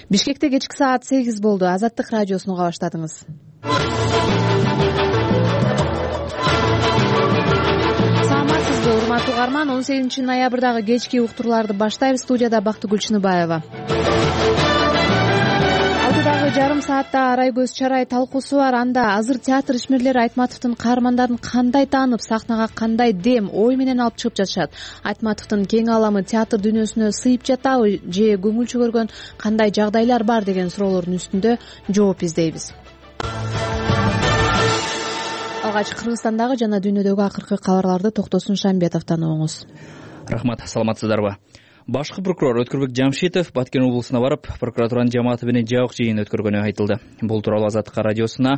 Бишкекте кечки саат 8 болду. Азаттык радиосун уга баштадыңыз. Саламатсызбы, урматтуу угарман. 18 ноябрдагы кечки уктурууларды баштайбыз. Студияда Бактыгүл Чыныбаева. Алдыдагы жарым саатта арай көз чарай талкуусу бар. Анда азыр театр ишмерлери Айтматовдун каармандарын кандай таанып, сахнага кандай дем, ой менен алып чыгып жатышат? Айтматовдун кең аламы театр дүйнөсүнө сыйып жатабы же көңүл чөгөргөн кандай жагдайлар бар деген суроолордун үстүндө жооп издейбиз. Алгач Кыргызстандагы жана дүйнөдөгү акыркы кабарларды Токтосун Шамбетовдон угуңуз. Рахмат, саламатсыздарбы? Башкы прокурор Өткөрбек Жамшитов Баткен облусуна барып, прокуратуранын жамааты менен жабык жыйын өткөргөнү айтылды. Бул тууралуу Азаттык радиосуна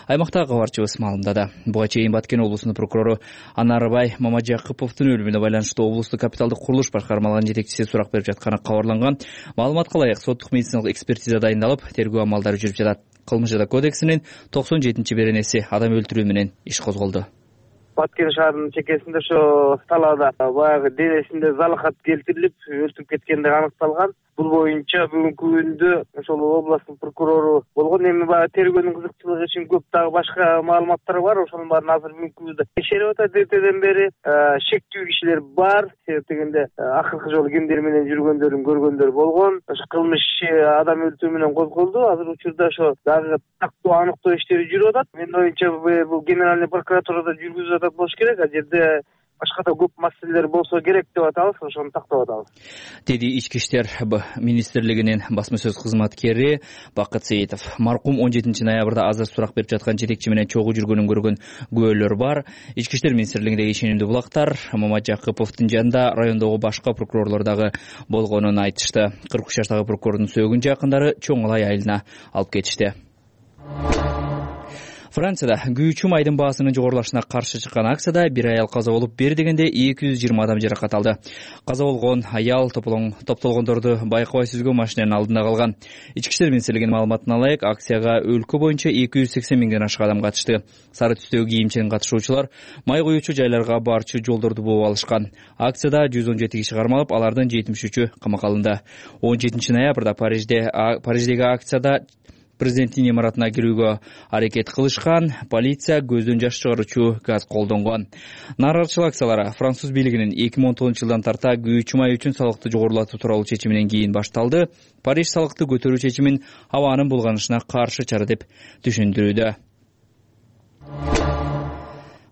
аймактагы кабарчыбыз маалымдады. Буга чейин Баткен облусунун прокурору Анарбай Мамажакыповдун өлүмүнө байланыштуу облустук капиталдык курулуш башкармалыгынын жетекчиси сурак берип жатканы кабарланган. Маалыматка ылайык соттук медициналык экспертиза дайындалып, тергөө амалдары жүрүп жатат. Кылмыш жада кодексинин 97-беренеси адам өлтүрүү менен иш козголду. Баткен шаарынын чекесинде ошо талаада баягы денесинде залахат келтирилип өлтүрүп кеткендиги аныкталган. Бул боюнча бүгүнкү күндө ошол областтын прокурору болгон. Эми баягы тергөөнүн кызыкчылыгы үчүн көп дагы башка маалыматтар бар. Ошонун баарын азыр бүгүнкү күндө текшерип атат. Эртеден бери шектүү кишилер бар. Себеп дегенде акыркы жолу кимдер менен жүргөндөрүн көргөндөр болгон. Ошо кылмыш адам өлтүрүү менен козголду. Азыр учурда ошо дагы тактоо аныктоо иштери жүрүп атат. Менин оюмча бул генеральный прокуратурада жүргүзүп атат болуш керек. Ал жерде башка да көп маселелер болсо керек деп атабыз, ошону тактап атабыз, деди Ички иштер министрлигинин басма сөз кызматкери Бакыт Сейитов. Маркум 17 ноябрда азыр сурак берип жаткан жетекчи менен чогуу жүргөнүн көргөн күбөлөр бар. Ички иштер министрлигиндеги ишенимдүү булактар Мамажакыповдун жанында райондогу башка прокурорлор дагы болгонун айтышты. 43 жаштагы прокурордун сөөгүн жакындары чоң алай айылына алып кетишти. Францияда күйүүчү майдын баасынын жогорулашына каршы чыккан акцияда бир аял каза болуп, бери дегенде 220 адам жаракат алды. Каза болгон аял топтолгондорду байкабай сүзгөн машинанын алдында калган. Ички иштер министрлигинин маалыматына ылайык, акцияга өлкө боюнча 280 миңден ашык адам катышты. Сары түстөгү кийимчен катышуучулар май куюучу жайларга барчу жолдорду бууп алышкан. Акцияда 117 киши кармалып, алардын 73-ү камакка алынды. 17 ноябрда Париждеги акцияда президенттин имаратына кирүүгө аракет кылышкан. Полиция көздөн жаш чыгаруучу газ колдонгон. Нааразычылык акциялары француз бийлигинин 2019 жылдан тарта күйүүчү май үчүн салыкты жогорулатуу тууралуу чечиминен кийин башталды. Париж салыкты көтөрүү чечимин абанын булганышына каршы чара деп түшүндүрүүдө.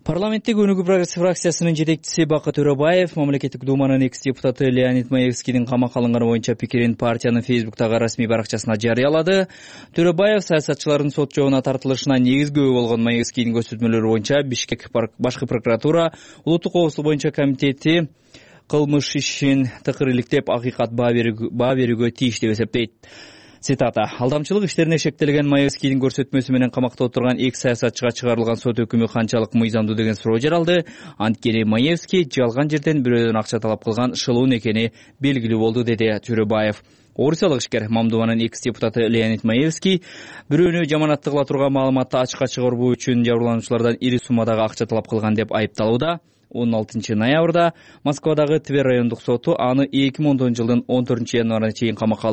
Парламенттеги Өнүгүү фракциясынын жетекчиси Бакыт Төрөбаев мамлекеттик думанын экс-депутаты Леонид Маевскийдин камакка алынганы боюнча пикирин партиянын Фейсбуктагы расмий баракчасына жарыялады. Төрөбаев саясатчылардын сот жообуна тартылышына негизги болгон Маевскийдин көрсөтмөлөрү боюнча Бишкек башкы прокуратура улуттук коопсуздук боюнча комитети кылмыш ишин тыкыр иликтеп, акыйкат баа берүүгө тийиш деп эсептейт. Цитата: алдамчылык иштерине шектелген Маевскийдин көрсөтмөсү менен камакта отурган эки саясатчыга чыгарылган сот өкүмү канчалык мыйзамдуу деген суроо жаралды. Анткени Маевский жалган жерден бирөөдөн акча талап кылган шылуун экени белгилүү болду, деди Төрөбаев. Орусиялык ишкер Мамдубанын экс-депутаты Леонид Маевский бирөөнү жаманатты кыла турган маалыматты ачыкка чыгаруу үчүн жабырлануучулардан ири суммадагы акча талап кылган деп айыпталууда. 16 ноябрда Москвадагы Тver райондук соту аны 2010 жылдын 14 январына чейин камакка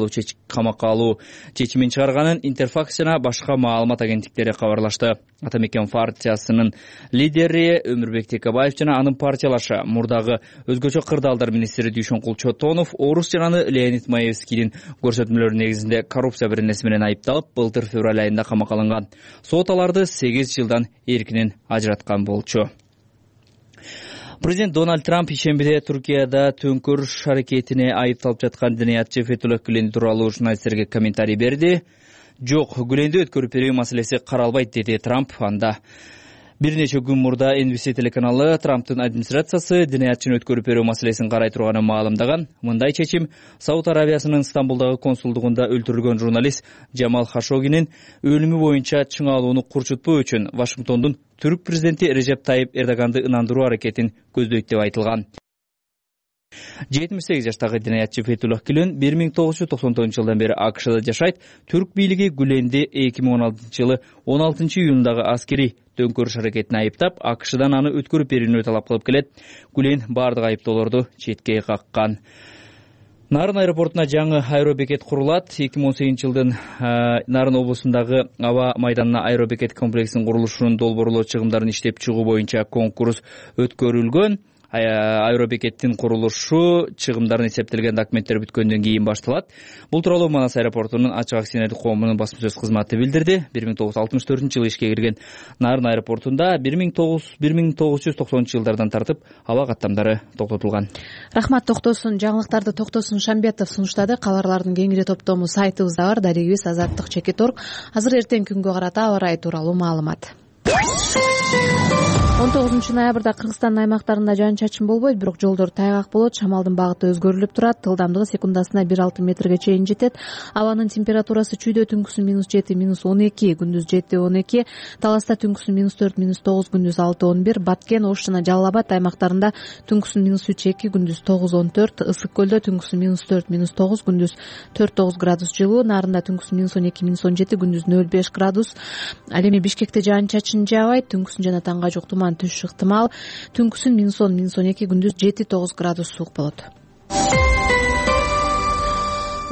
алуу чечимин чыгарганын Интерфакс жана башка маалымат агенттиктери кабарлашты. Атамекен партиясынын лидери Өмүрбек Текебаев жана анын партиялашы мурдагы өзгөчө кырдаалдар министри Дүйшөнкул Чотонов орус жананы Леонид Маевскийдин көрсөтмөлөрү негизинде коррупция беренеси менен айыпталып, былтыр февраль айында камакка алынган. Сот аларды 8 жылдан эркинен ажыраткан болчу. Президент Дональд Трамп ишембиде Туркияда төңкөрүш аракетине айыпталып жаткан диниятчы Фетуллах Гүлен тууралуу журналисттерге комментарий берди. Жок, Гүленди өткөрүп берүү маселеси каралбайт, деди Трамп. Анда бир нече күн мурда NBC телеканалы Трамптын администрациясы диниятчыны өткөрүп берүү маселесин карай турганын маалымдаган. Мындай чечим Сауд Арабиясынын Стамбулдагы консулдугунда өлтүрүлгөн журналист Джамал Хашогинин өлүмү боюнча чыңалууну курчутпоо үчүн Вашингтондун түрк президенти Режеп Тайип Эрдоганды ынандыруу аракетин көздөйт деп айтылган. 78 жаштагы диниятчы Фетуллах Гүлен 1999 жылдан бери АКШда жашайт. Түрк бийлиги Гүленди 2016 жылы 16 июндагы аскери төңкөрүш аракетине айыптап, АКШдан аны өткөрүп берүүнү талап кылып келет. Гүлен бардык айыптоолорду четке каккан. Нарын аэропортуна жаңы аэробекет курулат. 2018 жылдын Нарын облусундагы аба майданына аэробекет комплексинин курулушунун долбоорлоо чыгымдарын иштеп чыгуу боюнча конкурс өткөрүлгөн. Аэробекеттин курулушу чыгымдарын эсептелген документтер бүткөндөн кийин башталат. Бул тууралуу Манас аэропортунун ачык акционердик коомунун басма сөз кызматы билдирди. 1964-жылы ишке кирген Нарын аэропортунда 1990 жылдардан тартып аба каттамдары токтотулган. Рахмат, токтосун. Жаңылыктарды Токтосун Шамбетов сунуштады. Кабарлардын кеңири топтому сайтыбызда бар. Дарегибиз Азаттык.org. Азыр эртең күнгө карата аба ырайы тууралуу маалымат. 19 ноябрда Кыргызстандын аймактарында жаан-чачын болбойт, бирок жолдор тайгак болот. Шамалдын багыты өзгөрүлүп турат. Ылдамдыгы секундасына 1,6 метрге чейин жетет. Абанын температурасы чүйдө түнкүсүн -7, -12, күндүз 7-12, Таласта түнкүсүн -4, -9, күндүз 6-11, Баткен, Ош жана Жалал Абад аймактарында түнкүсүн -3-2, күндүз 9-14, Ысык көлдө түнкүсүн -4, -9, күндүз 4-9 градус жылуу, Нарында түнкүсүн -12, -17, күндүз 0,5 градус. Ал эми Бишкекте жаан-чачын жаабайт, түнкүсүн жана таңга жок туман түшүш ыктымал. Түнкүсүн -10, -12, күндүз 7-9 градус суук болот.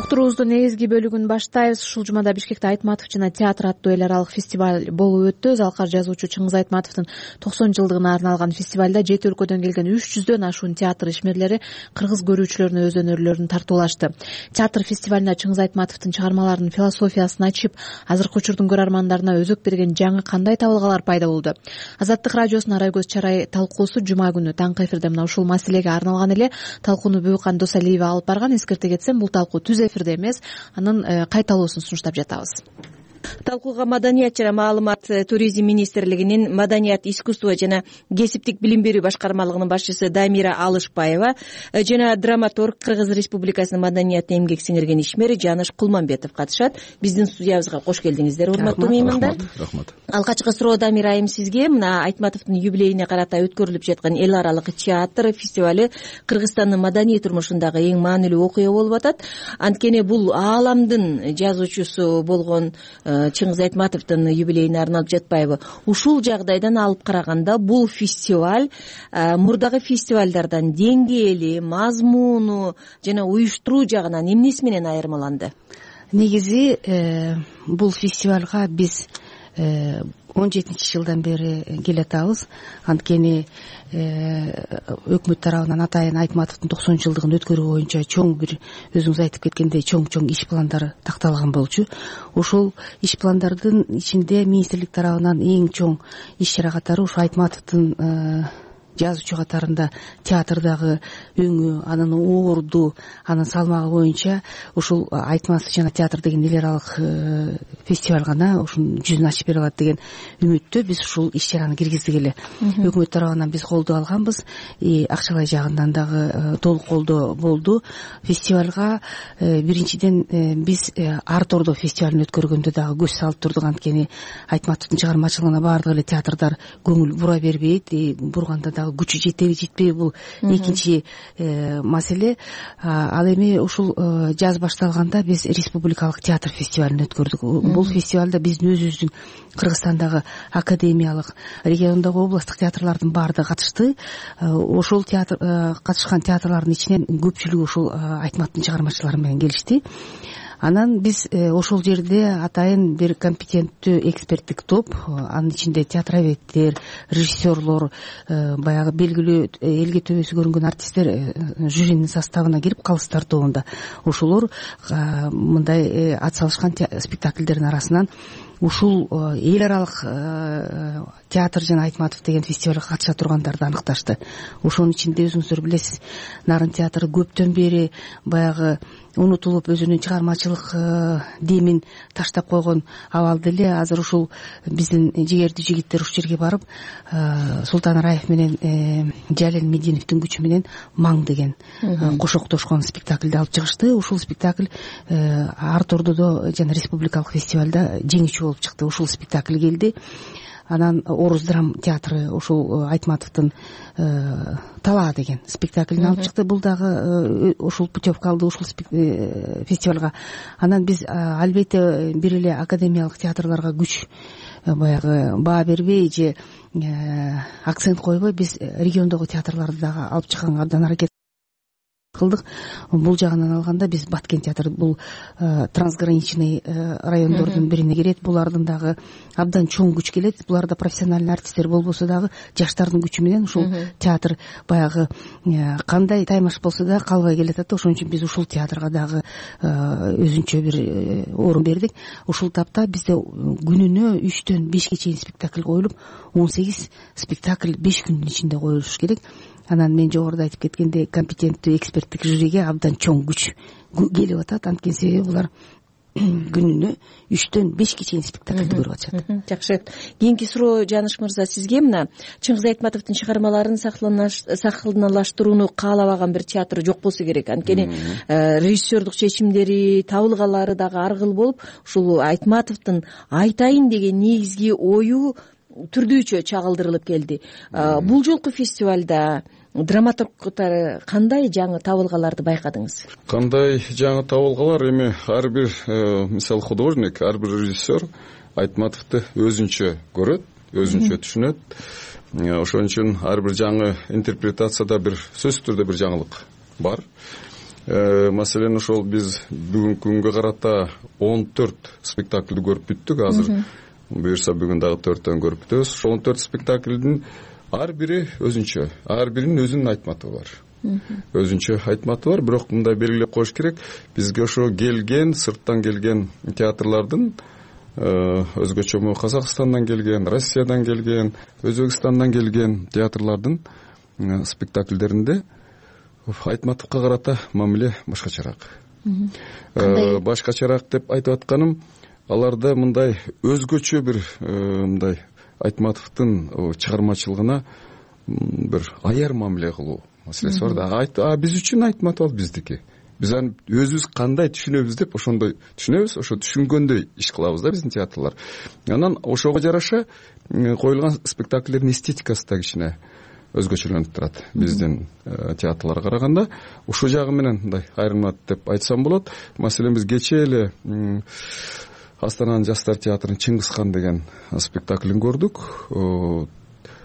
Уктуруубуздун негизги бөлүгүн баштайбыз. Ушул жумада Бишкекте Айтматов жана театр аттуу эл аралык фестиваль болуп өттү. Залкар жазуучу Чыңгыз Айтматовдун 90 жылдыгына арналган фестивалда 7 өлкөдөн келген 300дөн ашуун театр ишмерлери кыргыз көрүүчүлөрүнө өз өнөрлөрүн тартуулашты. Театр фестивалына Чыңгыз Айтматовдун чыгармаларынын философиясын ачып, азыркы учурдун көрөрмандарына өзөк берген жаңы кандай табылгалар пайда болду? Азаттык радиосунун Арай көз чарай талкуусу жума күнү таңкы эфирде мына ушул маселеге арналган эле. Талкууну Бүкан Досалиева алып барган. Эскерте кетсем, бул талкуу түз эфирде эмес, анын кайталоосун сунуштап жатабыз. Талкууга Маданият жана маалымат туризм министрлигинин Маданият, искусство жана кесиптик билим берүү башкармалыгынын башчысы Дамира Алышбаева жана драматург, Кыргыз Республикасынын маданиятына эмгек сиңирген ишмер Жаныш Кулманбетов катышат. Биздин студиябызга кош келдиңиздер, урматтуу меймандар. Рахмат. Алгачкы суроо, Дамир айым, сизге. Мына Айтматовдун юбилейине карата өткөрүлүп жаткан эл аралык театр фестивали Кыргызстандын маданий турмушундагы эң маанилүү окуя болуп атат. Анткени бул ааламдын жазуучусу болгон Чыңгыз Айтматовдун юбилейине арналып жатпайбы? Ушул жагдайдан алып караганда бул фестиваль мурдагы фестивалдардан деңгээли, мазмуну жана уюштуруу жагынан эмнеси менен айырмаланды? Негизи бул фестивалга биз 17-жылдан бери келатабыз. Анткени өкмөт тарабынан атайын Айтматовдун 90 жылдыгын өткөрүү боюнча чоң бир, өзүңүз айтып кеткендей, чоң иш пландар такталган болчу. Ошол иш пландардын ичинде министрлик тарабынан эң чоң иш чара катары ушу Айтматовдун жазуучу катарында театрдагы өңү, анын орду, анын салмагы боюнча ушул Айтматов жана театр деген эл аралык фестиваль гана ушунун жүзүн ачып бере алат деген үмүттө биз ушул иш чараны киргиздик эле. Өкмөт тарабынан биз колдоо алганбыз, акчалай жагынан дагы толук колдоо болду. Фестивалга биринчиден биз ар тордо фестивалын өткөргөндө дагы көз салып турдук. Анткени Айтматовдун чыгармачылыгына баардык эле театрдар көңүл бура бербейт, бурганда күчү жетеби жетпейби, бул экинчи маселе. Ал эми ушул жаз башталганда биз республикалык театр фестивалын өткөрдүк. Бул фестивалда биздин өзүбүздүн Кыргызстандагы академиялык, региондогу областтык театрлардын баардыгы катышты. Ошол катышкан театрлардын ичинен көпчүлүгү ушул Айтматовдун чыгармачылары менен келишти. Анан биз ошол жерде атайын бир компетенттүү эксперттик топ, анын ичинде театроведтер, режиссерлор, баягы белгилүү элге төбөсү көрүнгөн артисттер жюринин составына кирип, калыс тартуунда ошолор мындай ат салышкан спектакльдердин арасынан ушул эл аралык театр жана Айтматов деген фестивалга катыша тургандарды аныкташты. Ошонун ичинде өзүңүздөр билесиз, Нарын театры көптөн бери баягы унутулуп өзүнүн чыгармачылык демин таштап койгон абалда эле. Азыр ушул биздин жигердүү жигиттер ушул жерге барып, Султан Раев менен Жалел Мединовдун күчү менен Маң деген кошоктошкон спектакльди алып чыгышты. Ушул спектакль ар тордодо жана республикалык фестивалда жеңүүчү болуп чыкты. Ушул спектакль келди. Анан Орус драм театры ушул Айтматовдун Талаа деген спектаклин алып чыкты. Бул дагы ушул путевка алды ушул фестивалга. Анан биз албетте бир эле академиялык театрларга күч баягы баа бербей же акцент койбой, биз региондогу театрларды дагы алып чыкканга абдан аракет кылдык. Бул жагынан алганда биз Баткен театры бул трансграничный райондордун бирине кирет. Булардын дагы абдан чоң күч келет. Булар да профессиональный артисттер болбосо дагы жаштардын күчү менен ушул театр баягы кандай таймаш болсо да калбай келатат. Ошон үчүн биз ушул театрга дагы өзүнчө бир орун бердик. Ушул тапта бизде күнүнө 3-төн 5ге чейин спектакль коюлуп, 18 спектакль 5 күндүн ичинде коюлуш керек. Анан мен жогоруда айтып кеткендей компетенттүү эксперттик жюриге абдан чоң күч келип атат. Анткени себеби булар күнүнө 3-төн 5ге чейин спектакльди көрүп атышат. Жакшы. Кийинки суроо Жаныш мырза сизге. Мына Чыңгыз Айтматовдун чыгармаларын сахналаштырууну каалабаган бир театр жок болсо керек. Анткени режиссердук чечимдери, табылгалары дагы ар кыл болуп, ушул Айтматовдун айтайын деген негизги ою түрдүүчө чагылдырылып келди. Бул жолку фестивалда драматургтары кандай жаңы табылгаларды байкадыңыз? Кандай жаңы табылгалар? Эми ар бир мисалы художник, ар бир режиссер Айтматовду өзүнчө көрөт, өзүнчө түшүнөт. Ошон үчүн ар бир жаңы интерпретацияда бир сөзсүз түрдө бир жаңылык бар. Маселен, ошол биз бүгүнкү күнгө карата 14 спектакльди көрүп бүттүк. Азыр буюрса бүгүн дагы 4төн көрүп бүтөбүз. Ошол 14 спектакльдин ар бири өзүнчө, ар биринин өзүнүн Айтматову бар. Өзүнчө Айтматову бар, бирок мындай белгилеп коюш керек. Бизге ошо келген, сырттан келген театрлардын өзгөчө Казакстандан келген, Россиядан келген, Өзбекстандан келген театрлардын спектакльдеринде Айтматовго карата мамиле башкачараак. Башкачараак деп айтып атканым, аларда мындай өзгөчө бир мындай Айтматовдун чыгармачылыгына бир аяр мамиле кылуу маселеси бар да. Биз үчүн Айтматов биздики. Биз аны өзүбүз кандай түшүнөбүз деп ошондой түшүнөбүз, ошо түшүнгөндөй иш кылабыз да биздин театрлар. Анан ошого жараша коюлган спектакльдердин эстетикасы да кичине өзгөчөлөнүп турат биздин театрларга караганда. Ушул жагы менен мындай айырмат деп айтсам болот. Маселен, биз кечээ эле Астананын жаштар театрынын Чыңгызхан деген спектаклин көрдүк.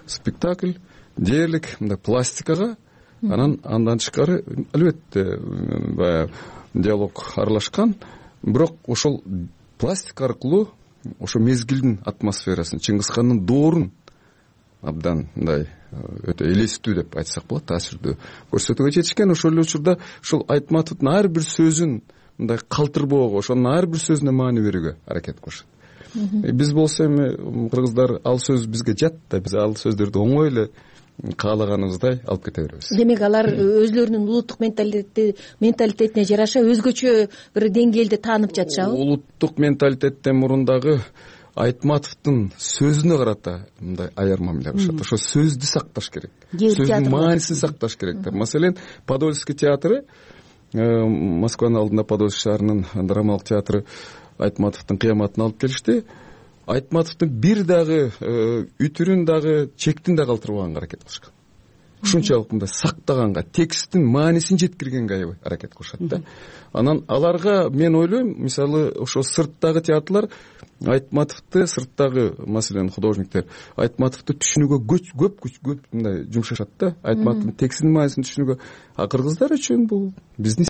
Спектакль дээрлик мындай пластикага, андан тышкары албетте баягы диалог аралашкан, бирок ошол пластик аркылуу ошо мезгилдин атмосферасын, Чыңгызхандын доорун абдан мындай өтө элестүү деп айтсак болот, таасирдүү көрсөтүүгө жетишкен. Ошол эле учурда ушул Айтматовдун ар бир сөзүн мындай калтырбоого, ошонун ар бир сөзүнө маани берүүгө аракет кылышат. Биз болсо эми кыргыздар ал сөз бизге жат да, биз ал сөздөрдү оңой эле каалаганыбыздай алып кете беребиз. Демек алар өзлөрүнүн улуттук менталитетине жараша өзгөчө бир деңгээлде таанып жатышабы? Улуттук менталитеттен мурун дагы Айтматовдун сөзүнө карата мындай аяр мамиле кылышат. Ошо сөздү сакташ керек, сөздүн маанисин сакташ керек. Маселен, Подольский театры, Москванын алдында Подольский шаарынын драмалык театры Айтматовдун кыяматын алып келишти. Айтматовдун бир дагы үтүрүн дагы, чектин дагы калтырбаганга аракет кылышкан. Ушунчалык мындай сактаганга, тексттин маанисин жеткиргенге аракет кылышат да. Анан аларга мен ойлойм, мисалы ошо сырттагы театрлар Айтматовду, сырттагы маселен художниктер Айтматовду түшүнүүгө көп мындай жумшашат да. Айтматовдун текстинин маанисин түшүнүүгө. А кыргыздар үчүн бул биздин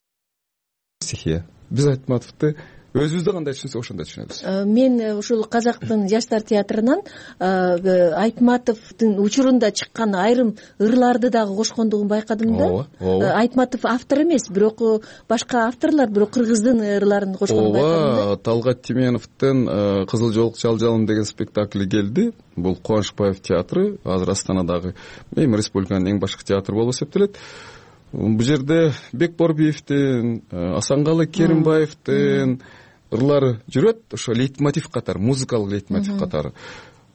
стихия. Биз Айтматовду өзүбүздө кандай түшүнсөк ошондой түшүнөбүз. Мен ушул Казактын жаштар театрынан Айтматовдун учурунда чыккан айрым ырларды дагы кошкондугун байкадым да. Айтматов автор эмес, бирок башка авторлар, бирок кыргыздын ырларын кошконун байкадым да. Талгат Тименовдун Кызыл жолук жалжалым деген спектакли келди. Бул Кубанычбаев театры, азыр Астанадагы эми республиканын эң башкы театры болуп эсептелет. Бул жерде Бекборбиевдин, Асанкалы Керимбаевдин ырлары жүрөт, ошо лейтмотив катары, музыкалык лейтмотив катары.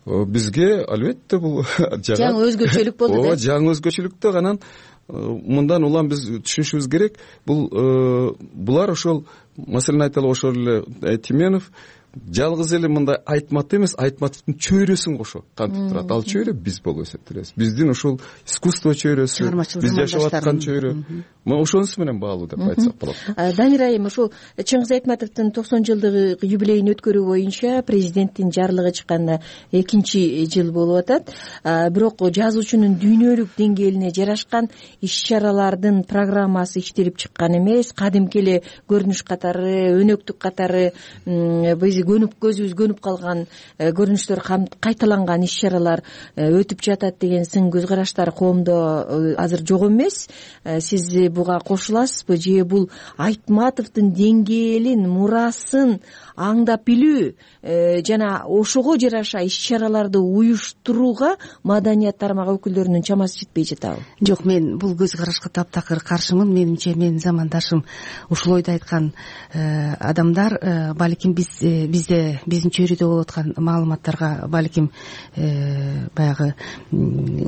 Бизге албетте бул жаңы өзгөчөлүк болду да. Жаңы өзгөчөлүк да. Анан мындан улам биз түшүнүшүбүз керек. Булар ошол, маселен айталы ошол эле Тименов жалгыз эле мындай Айтмат эмес, Айтматовдун чөйрөсүн кошо кантип турат. Ал чөйрө биз болуп эсептелебиз. Биздин ушул искусство чөйрөсү, биз жашап аткан чөйрө. Ошонусу менен баалуу деп айтсак болот. Дамир айым, ушул Чыңгыз Айтматовдун 90 жылдык юбилейин өткөрүү боюнча президенттин жарлыгы чыкканына 2-жыл болуп атат. Бирок жазуучунун дүйнөлүк деңгээлине жарашкан иш-чаралардын программасы иштелип чыккан эмес. Кадимки эле көрүнүш катары, өнөктүк катары биз көзүбүз көнүп калган көрүнүштөр кайталанган иш-чаралар өтүп жатат деген сын көз караштар коомдо азыр жок эмес. Сиз буга кошуласызбы же бул Айтматовдун деңгээлин, мурасын аңдап билүү жана ошого жараша иш-чараларды уюштурууга маданият тармагы өкүлдөрүнүн чамасы жетпей жатабы? Жок, мен бул көз карашка таптакыр каршымын. Менимче менин замандашым ушул ойду айткан адамдар балким бизде биздин чөйрөдө болуп аткан маалыматтарга балким баягы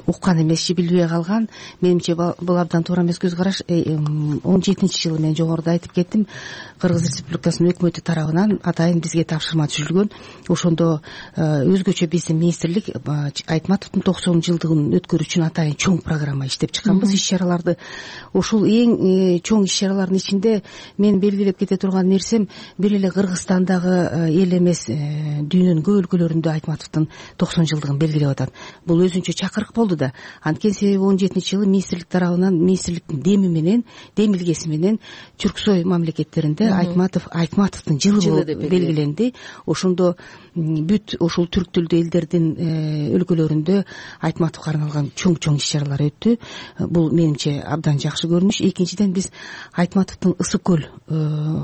уккан эмес же билбей калган. Менимче бул абдан туура эмес көз караш. 17-жылы мен жогоруда айтып кеттим, Кыргыз Республикасынын өкмөтү тарабынан атайын бизге тапшырма түзүлгөн. Ошондо өзгөчө биздин министрлик Айтматовдун 90 жылдыгын өткөрүү үчүн атайын чоң программа иштеп чыкканбыз, иш-чараларды. Ушул эң чоң иш-чаралардын ичинде мен белгилеп кете турган нерсем бир эле Кыргызстандагы эл эмес, дүйнөнүн көп өлкөлөрүндө Айтматовдун 90 жылдыгын белгилеп атат. Бул өзүнчө чакырык болду да. Анткени себеби 17-жылы министрлик тарабынан, министрликтин демилгеси менен Түрксой мамлекеттеринде Айтматовдун жылы болуп белгиленди. Ошондо бүт ушул түрк тилдүү элдердин өлкөлөрүндө Айтматовго арналган чоң иш-чаралар өттү. Бул менимче абдан жакшы көрүнүш. Экинчиден, биз Айтматовдун Ысык көл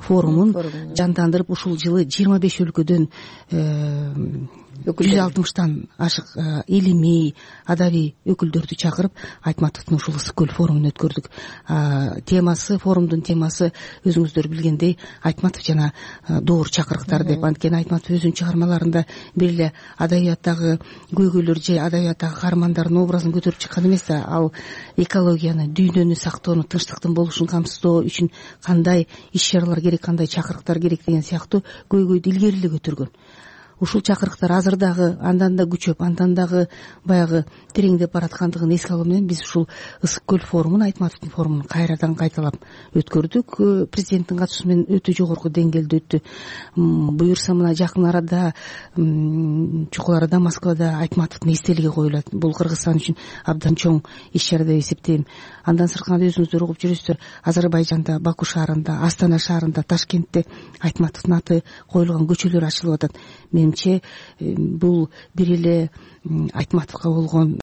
форумун жандандырып, ушул жылы 25 өлкөдөн 160тан ашык илимий, адабий өкүлдөрдү чакырып Айтматовдун ушул Ысык көл форумун өткөрдүк. Форумдун темасы өзүңүздөр билгендей Айтматов жана доор чакырыктар деп. Анткени Айтматов өзүнүн чыгармаларында бир эле адабияттагы көйгөйлөр же адабияттагы каармандардын образын көтөрүп чыккан эмес да, ал экологияны, дүйнөнү сактоону, тынчтыктын болушун камсыздоо үчүн кандай иш-чаралар керек, кандай чакырыктар керек деген сыяктуу көйгөйдү илгери эле көтөргөн. Ушул чакырыктар азыр дагы андан да күчөп, андан дагы баягы тереңдеп бараткандыгын эске алуу менен биз ушул Ысык көл форумун, Айтматовдун форумун кайрадан кайталап өткөрдүк. Президенттин катышуусу менен өтө жогорку деңгээлде өттү. Буюрса мына жакын арада чукул арада Москвада Айтматовдун эстелиги коюлат. Бул Кыргызстан үчүн абдан чоң иш-чара деп эсептейм. Андан сырткары өзүңүздөр угуп жүрөсүздөр, Азербайжанда, Баку шаарында, Астана шаарында, Ташкентте Айтматовдун аты коюлган көчөлөр ачылып атат. Менимче бул бир эле Айтматовго болгон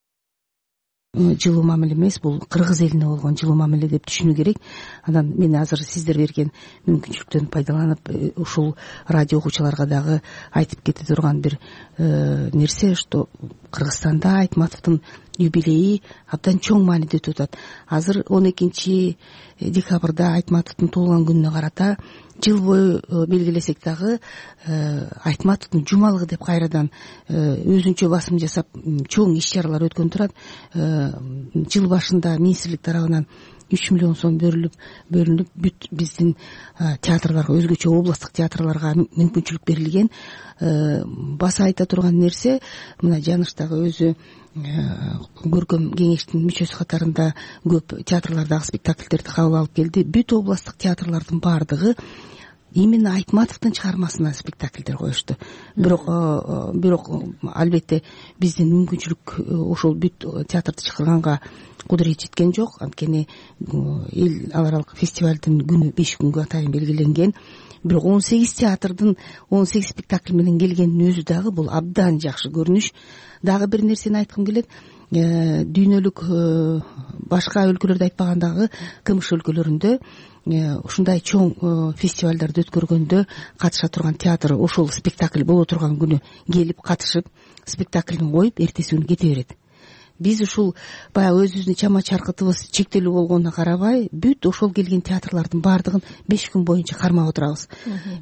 жылуу мамиле эмес, бул кыргыз элине болгон жылуу мамиле деп түшүнүү керек. Анан мен азыр сиздер берген мүмкүнчүлүктөн пайдаланып ушул радио окуучуларга дагы айтып кете турган бир нерсе, что Кыргызстанда Айтматовдун юбилейи абдан чоң мааниде өтүп атат. Азыр 12 декабрда Айтматовдун туулган күнүнө карата жыл бою белгилесек дагы Айтматовдун жумалыгы деп кайрадан өзүнчө басым жасап чоң иш-чаралар өткөн турат. Жыл башында министрлик тарабынан 3 миллион сом бөлүнүп бүт биздин театрларга, өзгөчө областтык театрларга мүмкүнчүлүк берилген. Баса айта турган нерсе, мына Жаныштагы өзү көркөм кеңештин мүчөсү катарында көп театрлардагы спектакльдерди кабыл алып келди. Бүт областтык театрлардын баардыгы именно Айтматовдун чыгармасына спектакльдер коюшту. Бирок албетте биздин мүмкүнчүлүк ошол бүт театрды чакырганга кудурет жеткен жок. Анткени эл аралык фестивалдын күнү 5 күнгө атайын белгиленген. Бирок 18 театрдын 18 спектакль менен келгендин өзү дагы бул абдан жакшы көрүнүш. Дагы бир нерсени айткым келет. Дүйнөлүк башка өлкөлөрдө айтпагандагы КМШ өлкөлөрүндө ушундай чоң фестивалдарды өткөргөндө катыша турган театр ошол спектакль боло турган күнү келип катышып спектаклин коюп эртеси күнү кете берет. Биз ушул баягы өзүбүздүн чама чаркытыбыз чектелүү болгонуна карабай, бүт ошол келген театрлардын баардыгын 5 күн боюнча кармап отурабыз.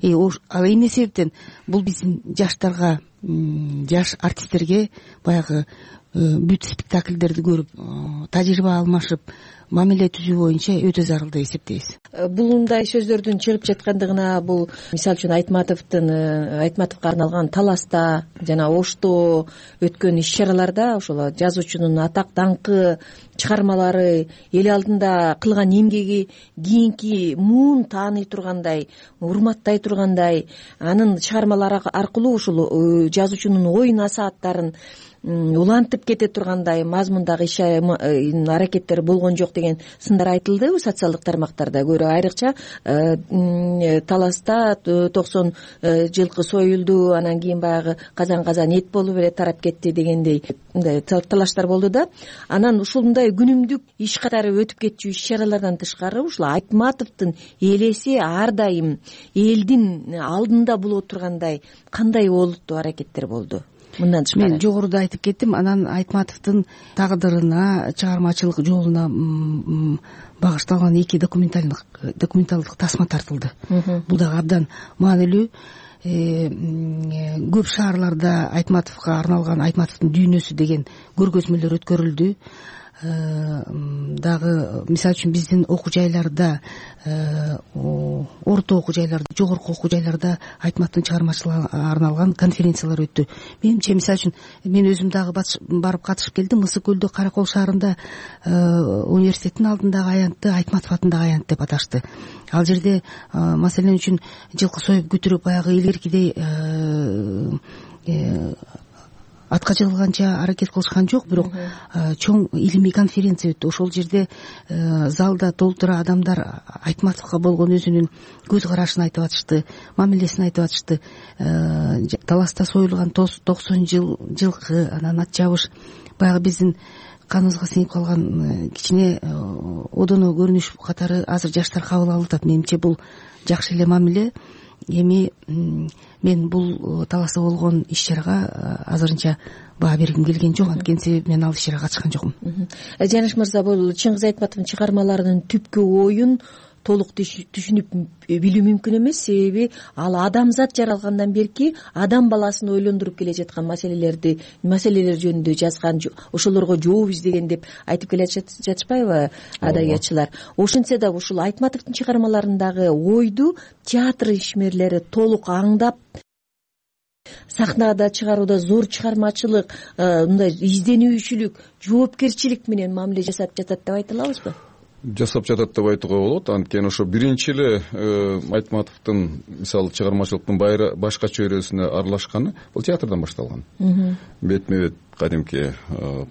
Ал эмне себептен? Бул биздин жаштарга, жаш артисттерге баягы бүт спектакльдерди көрүп, тажрыйба алмашып, мамиле түзүү боюнча өтө зарыл деп эсептейбиз. Булундай сөздөрдүн чыгып жаткандыгына бул мисалы үчүн Айтматовго арналган Таласта жана Ошто өткөн иш-чараларда ошол жазуучунун атак даңкы, чыгармалары, эл алдында кылган эмгеги кийинки муун тааный тургандай, урматтай тургандай, анын чыгармалары аркылуу ушул жазуучунун ой насааттарын улантып кете тургандай мазмундагы иш-аракеттер болгон жок деген сындар айтылды социалдык тармактарда. Көрө айрыкча Таласта 90 жылкы союлду, анан кийин баягы казан эт болуп эле тарап кетти дегендей мындай талаштар болду да. Анан ушундай күнүмдүк иш катары өтүп кетчү иш-чаралардан тышкары ушул Айтматовдун элеси ар дайым элдин алдында боло тургандай кандай олуттуу аракеттер болду? Мындан тышкары мен жогоруда айтып кеттим, анан Айтматовдун тагдырына, чыгармачылык жолуна багышталган 2 документалдык тасма тартылды. Бул дагы абдан маанилүү. Көп шаарларда Айтматовго арналган Айтматовдун дүйнөсү деген көргөзмөлөр өткөрүлдү. Дагы мисалы үчүн биздин окуу жайларда, орто окуу жайларда, жогорку окуу жайларда Айтматовдун чыгармачылыгына арналган конференциялар өттү. Менимче мисалы үчүн мен өзүм дагы барып катышып келдим. Мысык көлдө Каракол шаарында университеттин алдындагы аянтты Айтматов атындагы аянт деп аташты. Ал жерде маселен үчүн жылкы союп күтүрүп баягы илгеркидей атка жыгылганча аракет кылышкан жок, бирок чоң илимий конференция өттү. Ошол жерде залда толтура адамдар Айтматовго болгон өзүнүн көз карашын айтып атышты, мамилесин айтып атышты. Таласта союлган 90 жылкы, анан ат жабыш баягы биздин каныбызга сиңип калган кичине одоно көрүнүш катары азыр жаштар кабыл алып атат. Менимче бул жакшы эле мамиле. Эми мен бул Таласта болгон иш-чарага азырынча баа бергим келген жок, анткени себеби мен ал иш-чарага катышкан жокмун. Жаныш мырза, бул Чыңгыз Айтматовдун чыгармаларынын түпкү оюн толук түшүнүп билүү мүмкүн эмес, себеби ал адамзат жаралгандан берки адам баласын ойлондуруп келе жаткан маселелер жөнүндө жазган, ошолорго жооп издеген деп айтып келе жатышпайбы адабиятчылар? Ошентсе да ушул Айтматовдун чыгармаларындагы ойду театр ишмерлери толук аңдап сахнада чыгарууда зор чыгармачылык, мындай изденүүчүлүк, жоопкерчилик менен мамиле жасап жатат деп айта алабызбы? Жасап жатат деп айтууга болот. Анткени ошо биринчи эле Айтматовдун мисалы чыгармачылыктын башкача өрөөсүнө аралашканы бул театрдан башталган. Бетме бет кадимки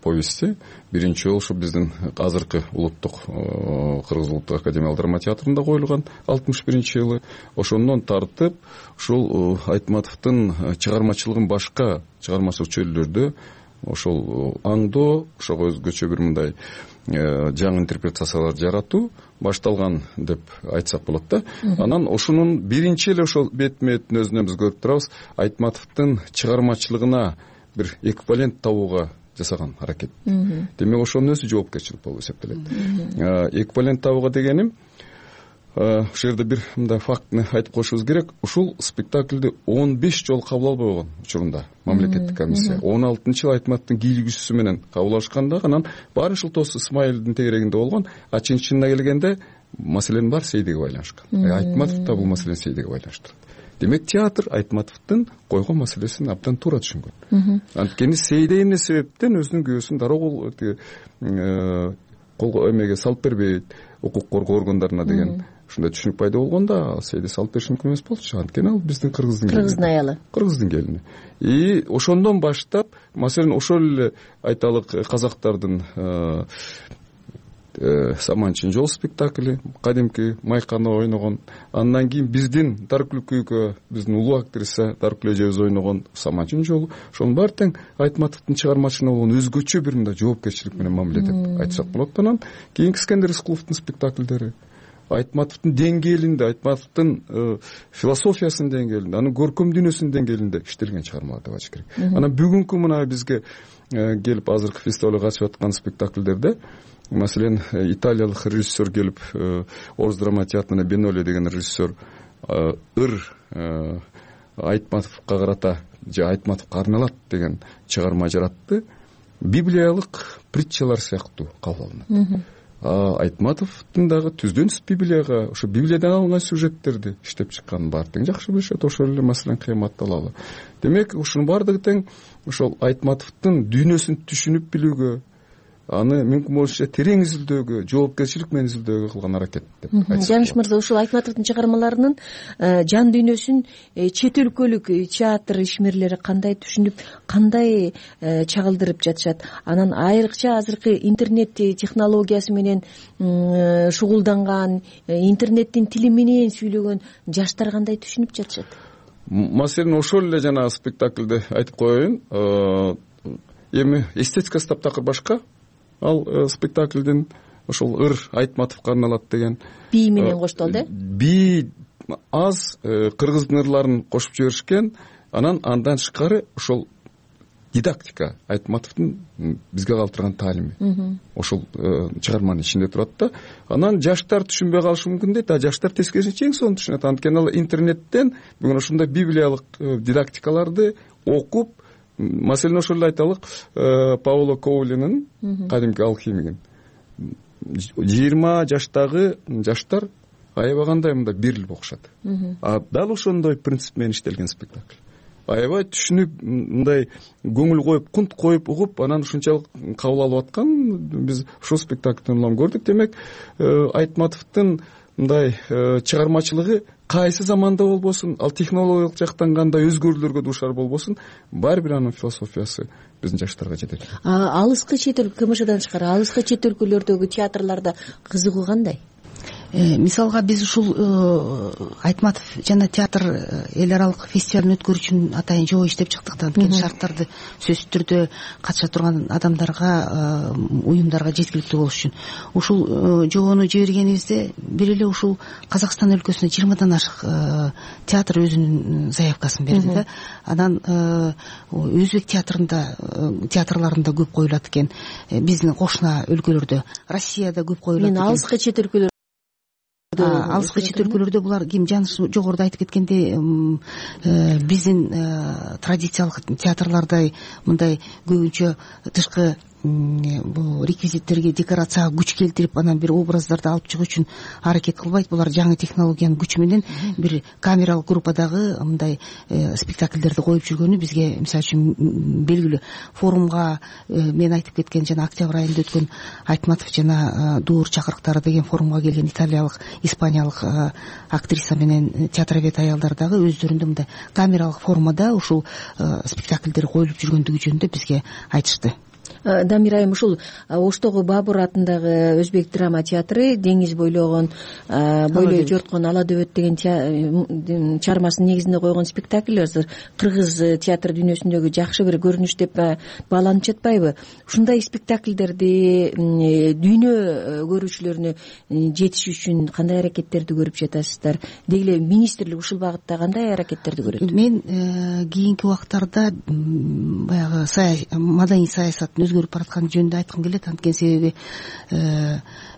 повести биринчи жолу ушу биздин азыркы улуттук Кыргыз улуттук академиялык драма театрында коюлган 61-жылы. Ошондон тартып ушул Айтматовдун чыгармачылыгын башка чыгармачылык чөйрөлөрдө ошол аңдоо, ошого өзгөчө бир мындай жаңы интерпретациялар жаратуу башталган деп айтсак болот да. Анан ошонун биринчи эле ошол бетме-беттин өзүнөн биз көрүп турабыз Айтматовдун чыгармачылыгына бир эквивалент табууга жасаган аракет. Демек ошонун өзү жоопкерчилик болуп эсептелет. Эквивалент табууга дегеним ушул жерде бир мындай фактыны айтып коюшубуз керек. Ушул спектакльди 15 жолу кабыл албай койгон учурунда мамлекеттик комиссия 16-жылы Айтматовдун кийлигүүчүсү менен кабыл алышканда, анан баары ушул Тос Исмаилдин тегерегинде болгон. Чынына келгенде маселенин баары Сейдиге байланыштыр. Айтматов да бул маселени Сейдиге байланыштырат. Демек театр Айтматовдун койгон маселесин абдан туура түшүнгөн. Анткени Сейде эмне себептен өзүнүн күйөөсүн дароо колго эмеге салып бербейт, укук коргоо органдарына деген ушундай түшүнүк пайда болгондо Сейде салып бериш мүмкүн эмес болчу. Анткени ал биздин кыргыздын аялы, кыргыздын келини. И ошондон баштап, маселен, ошол эле айталык казактардын Саманчин жол спектакли, кадимки Майканы ойногон. Андан кийин биздин Даркүлкүйгө биздин улуу актриса Даркүл эжебиз ойногон Саманчин жолу. Ошонун баары тең Айтматовдун чыгармачылыгына болгон өзгөчө бир мындай жоопкерчилик менен мамиле деп айтсак болот. Анан кийинки Искендер Рыскуловдун спектакльдери Айтматовдун деңгээлинде, Айтматовдун философиясынын деңгээлинде, анын көркөм дүйнөсүнүн деңгээлинде иштелген чыгармалар деп айтыш керек. Анан бүгүнкү мына бизге келип азыркы фестивалга катышып аткан спектакльдерде, маселен, италиялык режиссер келип, Орус драма театрына Беноле деген режиссер Айтматовго карата же Айтматовго арналат деген чыгарма жаратты. Библиялык притчалар сыяктуу кабыл алынат. Айтматовдун дагы түздөн түз Библияга, ошо Библиядан алынган сюжеттерди иштеп чыкканын баары тең жакшы билишет. Ошол эле маселен кыямат талаалы. Демек ушунун баардыгы тең ошол Айтматовдун дүйнөсүн түшүнүп билүүгө, аны мүмкүн болушунча терең изилдөөгө, жоопкерчилик менен изилдөөгө кылган аракет деп айтсак. Жаныш мырза, ушул Айтматовдун чыгармаларынын жан дүйнөсүн чет өлкөлүк театр ишмерлери кандай түшүнүп, кандай чагылдырып жатышат? Анан айрыкча азыркы интернет технологиясы менен шугулданган, интернеттин тили менен сүйлөгөн жаштар кандай түшүнүп жатышат? Маселен ошол эле жанагы спектакльде айтып коеюн. Эми эстетикасы таптакыр башка. Ал спектакльдин ошол ыр Айтматовго арналат деген бий менен коштолду. Бий аз, кыргыздын ырларын кошуп жиберишкен. Анан андан тышкары ошол дидактика, Айтматовдун бизге калтырган таалими ошол чыгарманын ичинде турат да. Анан жаштар түшүнбөй калышы мүмкүн дейт, а жаштар тескерисинче эң сонун түшүнөт. Анткени ал интернеттен бүгүн ошондой библиялык дидактикаларды окуп, маселен ошол эле айталык, Паоло Коулинин кадимки алхимигин 20 жаштагы жаштар аябагандай мындай берилип окушат. Дал ошондой принцип менен иштелген спектакль. Аябай түшүнүп, мындай көңүл коюп, кунт коюп угуп, анан ушунчалык кабыл алып аткан биз ошол спектакльден улам көрдүк. Демек Айтматовдун мындай чыгармачылыгы кайсы заманда болбосун, ал технологиялык жактан кандай өзгөрүүлөргө дуушар болбосун, баары бир анын философиясы биздин жаштарга жетет. Алыскы чет өлкө, КМШдан тышкары алыскы чет өлкөлөрдөгү театрларда кызыгуу кандай? Мисалга биз ушул Айтматов жана театр эл аралык фестивалын өткөрүү үчүн атайын жоо иштеп чыктык да. Анткени шарттарды сөзсүз түрдө катыша турган адамдарга, уюмдарга жеткиликтүү болуш үчүн ушул жобону жибергенибизде бир эле ушул Казакстан өлкөсүнө 20дан ашык театр өзүнүн заявкасын берди да. Анан өзбек театрларында көп коюлат экен. Биздин кошуна өлкөлөрдө, Россияда көп коюлат экен. Алыскы чет өлкөлөр алыскы чет өлкөлөрдө булар ким Жаныш жогоруда айтып кеткендей биздин традициялык театрлардай мындай көбүнчө тышкы бул реквизиттерге, декорацияга күч келтирип, анан бир образдарды алып чыгуу үчүн аракет кылбайт. Булар жаңы технологиянын күчү менен бир камералык группадагы мындай спектакльдерди коюп жүргөнү бизге мисалы үчүн белгилүү. Форумга мен айтып кеткен жана октябрь айында өткөн Айтматов жана Дуур чакырыктары деген форумга келген италиялык, испаниялык актриса менен театровед аялдар дагы өздөрүндө мындай камералык формада ушул спектакльдер коюлуп жүргөндүгү жөнүндө бизге айтышты. Дамир айым, ушул Оштогу Бабур атындагы өзбек драма театры деңиз бойлогон, бойлой жорткон Ала дөбөт деген чыгармасынын негизинде койгон спектакль азыр кыргыз театр дүйнөсүндөгү жакшы бир көрүнүш деп бааланып жатпайбы? Ушундай спектакльдерди дүйнө көрүүчүлөрүнө жетиш үчүн кандай аракеттерди көрүп жатасыздар? Деги эле министрлик ушул багытта кандай аракеттерди көрөт? Мен кийинки убактарда баягы маданий саясаттын өзгөрүп баратканы жөнүндө айткым келет. Анткени себеби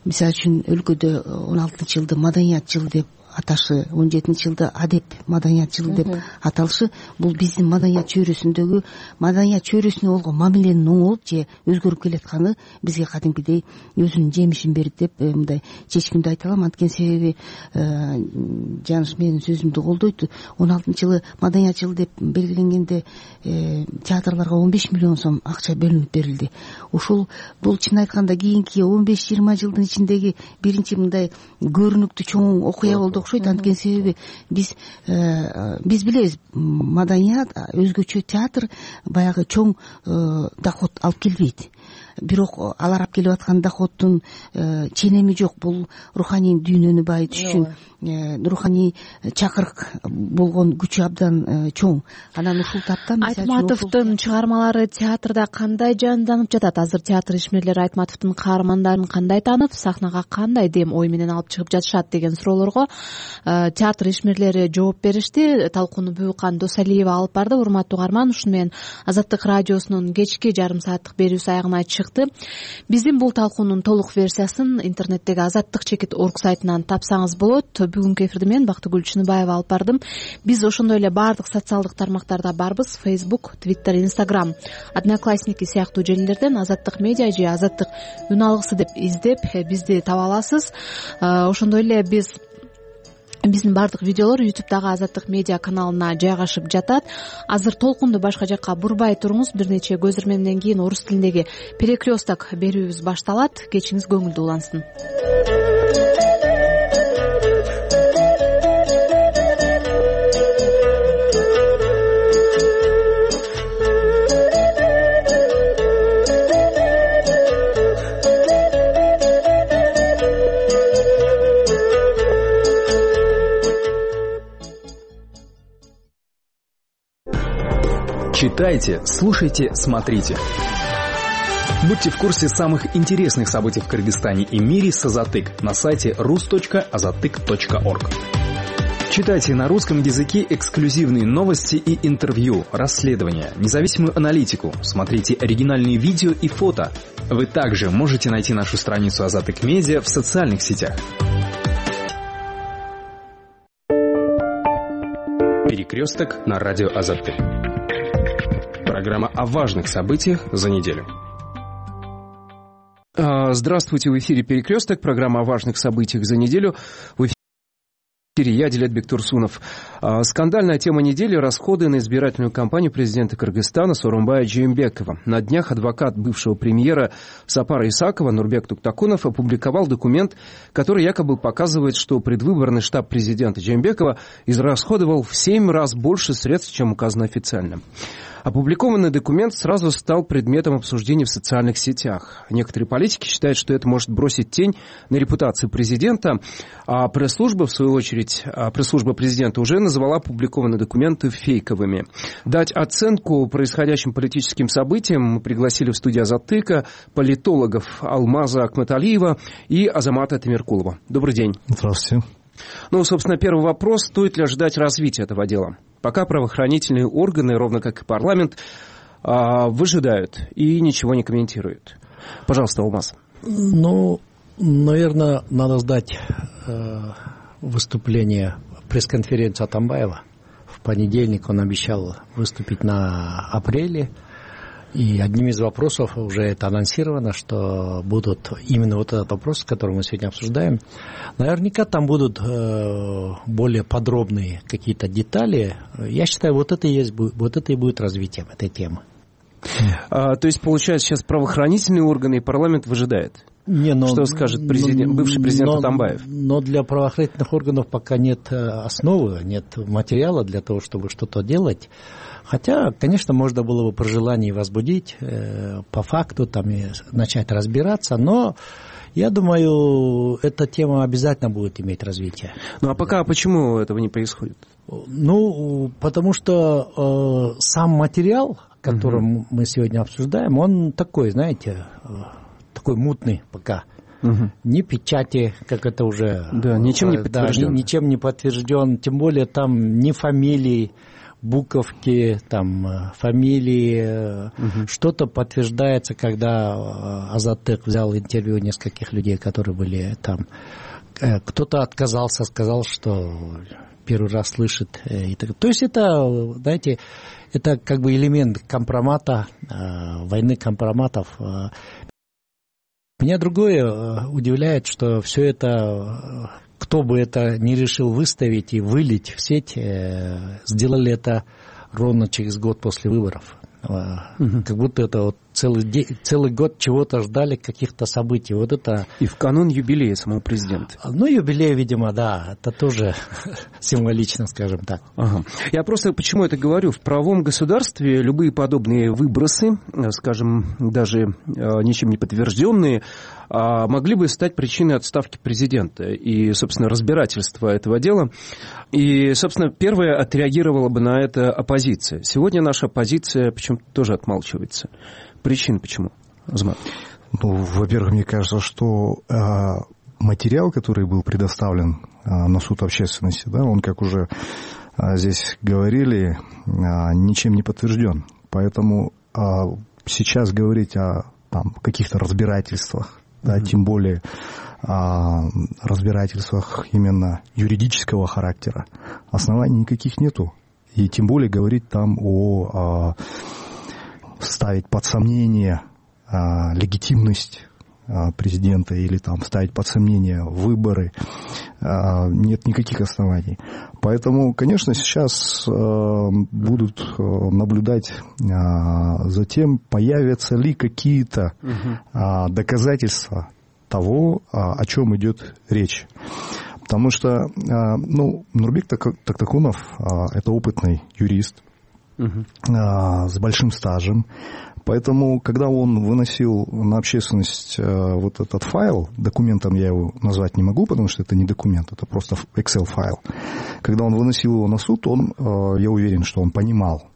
мисалы үчүн өлкөдө 16 жылды маданият жылы деп аташы, 17 жылда адеп маданият жылы деп аталышы бул биздин маданият чөйрөсүндөгү маданият чөйрөсүнө болгон мамиленин оңолуп же өзгөрүп келатканы бизге кадимкидей өзүнүн жемишин берди деп мындай чечкиндүү айта алам. Анткени себеби Жаныш менин сөзүмдү колдойт. 16 жылы маданият жылы деп белгиленгенде театрларга 15 миллион сом акча бөлүнүп берилди. Ушул бул чын айтканда кийинки 15-20 жылдын ичиндеги биринчи мындай көрүнүктүү чоң окуя болду окшойт. Анткени себеби биз билебиз, маданият, өзгөчө театр баягы чоң доход алып келбейт. Бирок алар алып келип аткан доходдун ченеми жок. Бул руханий дүйнөнү байытыш үчүн, руханий чакырык болгон күчү абдан чоң. Анан ушул тапта Айтматовдун чыгармалары театрда кандай жанданып жатат? Азыр театр ишмерлери Айтматовдун каармандарын кандай таанып, сахнага кандай дем ой менен алып чыгып жатышат деген суроолорго театр ишмерлери жооп беришти. Талкууну Бүбүкан Досалиева алып барды. Урматтуу угарман, ушуну менен Азаттык радиосунун кечки жарым сааттык берүүсү аягына чыгат. чыкты. Биздин бул талкуунун толук версиясын интернеттеги azattik.org сайтынан тапсаңыз болот. Бүгүнкү эфирди мен Бактыгүл Чыныбаева алып бардым. Биз ошондой эле баардык социалдык тармактарда барбыз: Facebook, Twitter, Instagram, Одноклассники сыяктуу желилерден Азаттык медиа же Азаттык үн алгысы деп издеп бизди таба аласыз. Ошондой эле биздин баардык видеолор YouTube'дагы Азаттык медиа каналына жайгашып жатат. Азыр толкунду башка жакка бурбай туруңуз. Бир нече көз ирмемден кийин орус тилиндеги перекресток берүүбүз башталат. Кечиңиз көңүлдүү улансын. Читайте, слушайте, смотрите. Будьте в курсе самых интересных событий в Кыргызстане и мире с Азаттык на сайте rus.azattyk.org. Читайте на русском языке эксклюзивные новости и интервью, расследования, независимую аналитику. Смотрите оригинальные видео и фото. Вы также можете найти нашу страницу Азаттык Медиа в социальных сетях. Перекресток на радио Азаттык. Программа о важных событиях за неделю. Здравствуйте, в эфире «Перекресток», программа о важных событиях за неделю. В эфире я, Дилетбек Турсунов. Скандальная тема недели – расходы на избирательную кампанию президента Кыргызстана Сооронбая Жээнбекова. На днях адвокат бывшего премьера Сапара Исакова Нурбек Туктакунов опубликовал документ, который якобы показывает, что предвыборный штаб президента Жээнбекова израсходовал в 7 раз больше средств, чем указано официально. Опубликованный документ сразу стал предметом обсуждения в социальных сетях. Некоторые политики считают, что это может бросить тень на репутацию президента, а пресс-служба, в свою очередь, пресс-служба президента уже назвала опубликованные документы фейковыми. Дать оценку происходящим политическим событиям мы пригласили в студию Азаттыка политологов Алмаза Акматалиева и Азамата Темиркулова. Добрый день. Здравствуйте. Собственно, первый вопрос. Стоит ли ожидать развития этого дела? Пока правоохранительные органы, ровно как и парламент, выжидают и ничего не комментируют. Пожалуйста, Алмаз. Наверное, надо ждать выступления пресс-конференции Атамбаева. В понедельник он обещал выступить на апреле. И одним из вопросов уже это анонсировано, что будут именно вот этот вопрос, который мы сегодня обсуждаем. Наверняка там будут более подробные какие-то детали. Я считаю, вот это и будет развитием этой темы. То есть, получается, сейчас правоохранительные органы и парламент выжидают? Что скажет бывший президент Атамбаев? Но для правоохранительных органов пока нет основы, нет материала для того, чтобы что-то делать. Хотя, конечно, можно было бы при желании возбудить по факту там, и начать разбираться, но я думаю, эта тема обязательно будет иметь развитие. А пока почему этого не происходит? Потому что сам материал, который мы сегодня обсуждаем, он такой, знаете, такой мутный пока. Ни печати, как это уже... Да, ничем не подтвержден. Ничем не подтвержден, тем более там ни фамилий, буковки, там, фамилии, что-то подтверждается, когда Азаттык взял интервью нескольких людей, которые были там. Кто-то отказался, сказал, что первый раз слышит. То есть это, знаете, это как бы элемент компромата, войны компроматов. Меня другое удивляет, что все это... Кто бы это не решил выставить и вылить в сеть, сделали это ровно через год после выборов. Как будто это вот целый год чего-то ждали, каких-то событий. Вот это... И в канун юбилея самого президента. Юбилей, видимо, да. Это тоже символично, скажем так. Я просто почему это говорю? В правовом государстве любые подобные выбросы, скажем, даже ничем не подтвержденные, могли бы стать причиной отставки президента и, собственно, разбирательства этого дела. И, собственно, первая отреагировала бы на это оппозиция. Сегодня наша оппозиция почему-то тоже отмалчивается. Причин почему, Азамат? Во-первых, мне кажется, что материал, который был предоставлен на суд общественности, да, он, как уже здесь говорили, ничем не подтвержден. Поэтому сейчас говорить о там каких-то разбирательствах, да, тем более разбирательствах именно юридического характера, оснований никаких нету. И тем более говорить там ставить под сомнение легитимность президента или там ставить под сомнение выборы, нет никаких оснований. Поэтому, конечно, сейчас будут наблюдать за тем, появятся ли какие-то доказательства того, о чем идет речь. Потому что, Нурбек Тактакунов это опытный юрист с большим стажем. Поэтому, когда он выносил на общественность вот этот файл, документом я его назвать не могу, потому что это не документ, это просто Excel-файл. Когда он выносил его на суд, я уверен, что он понимал,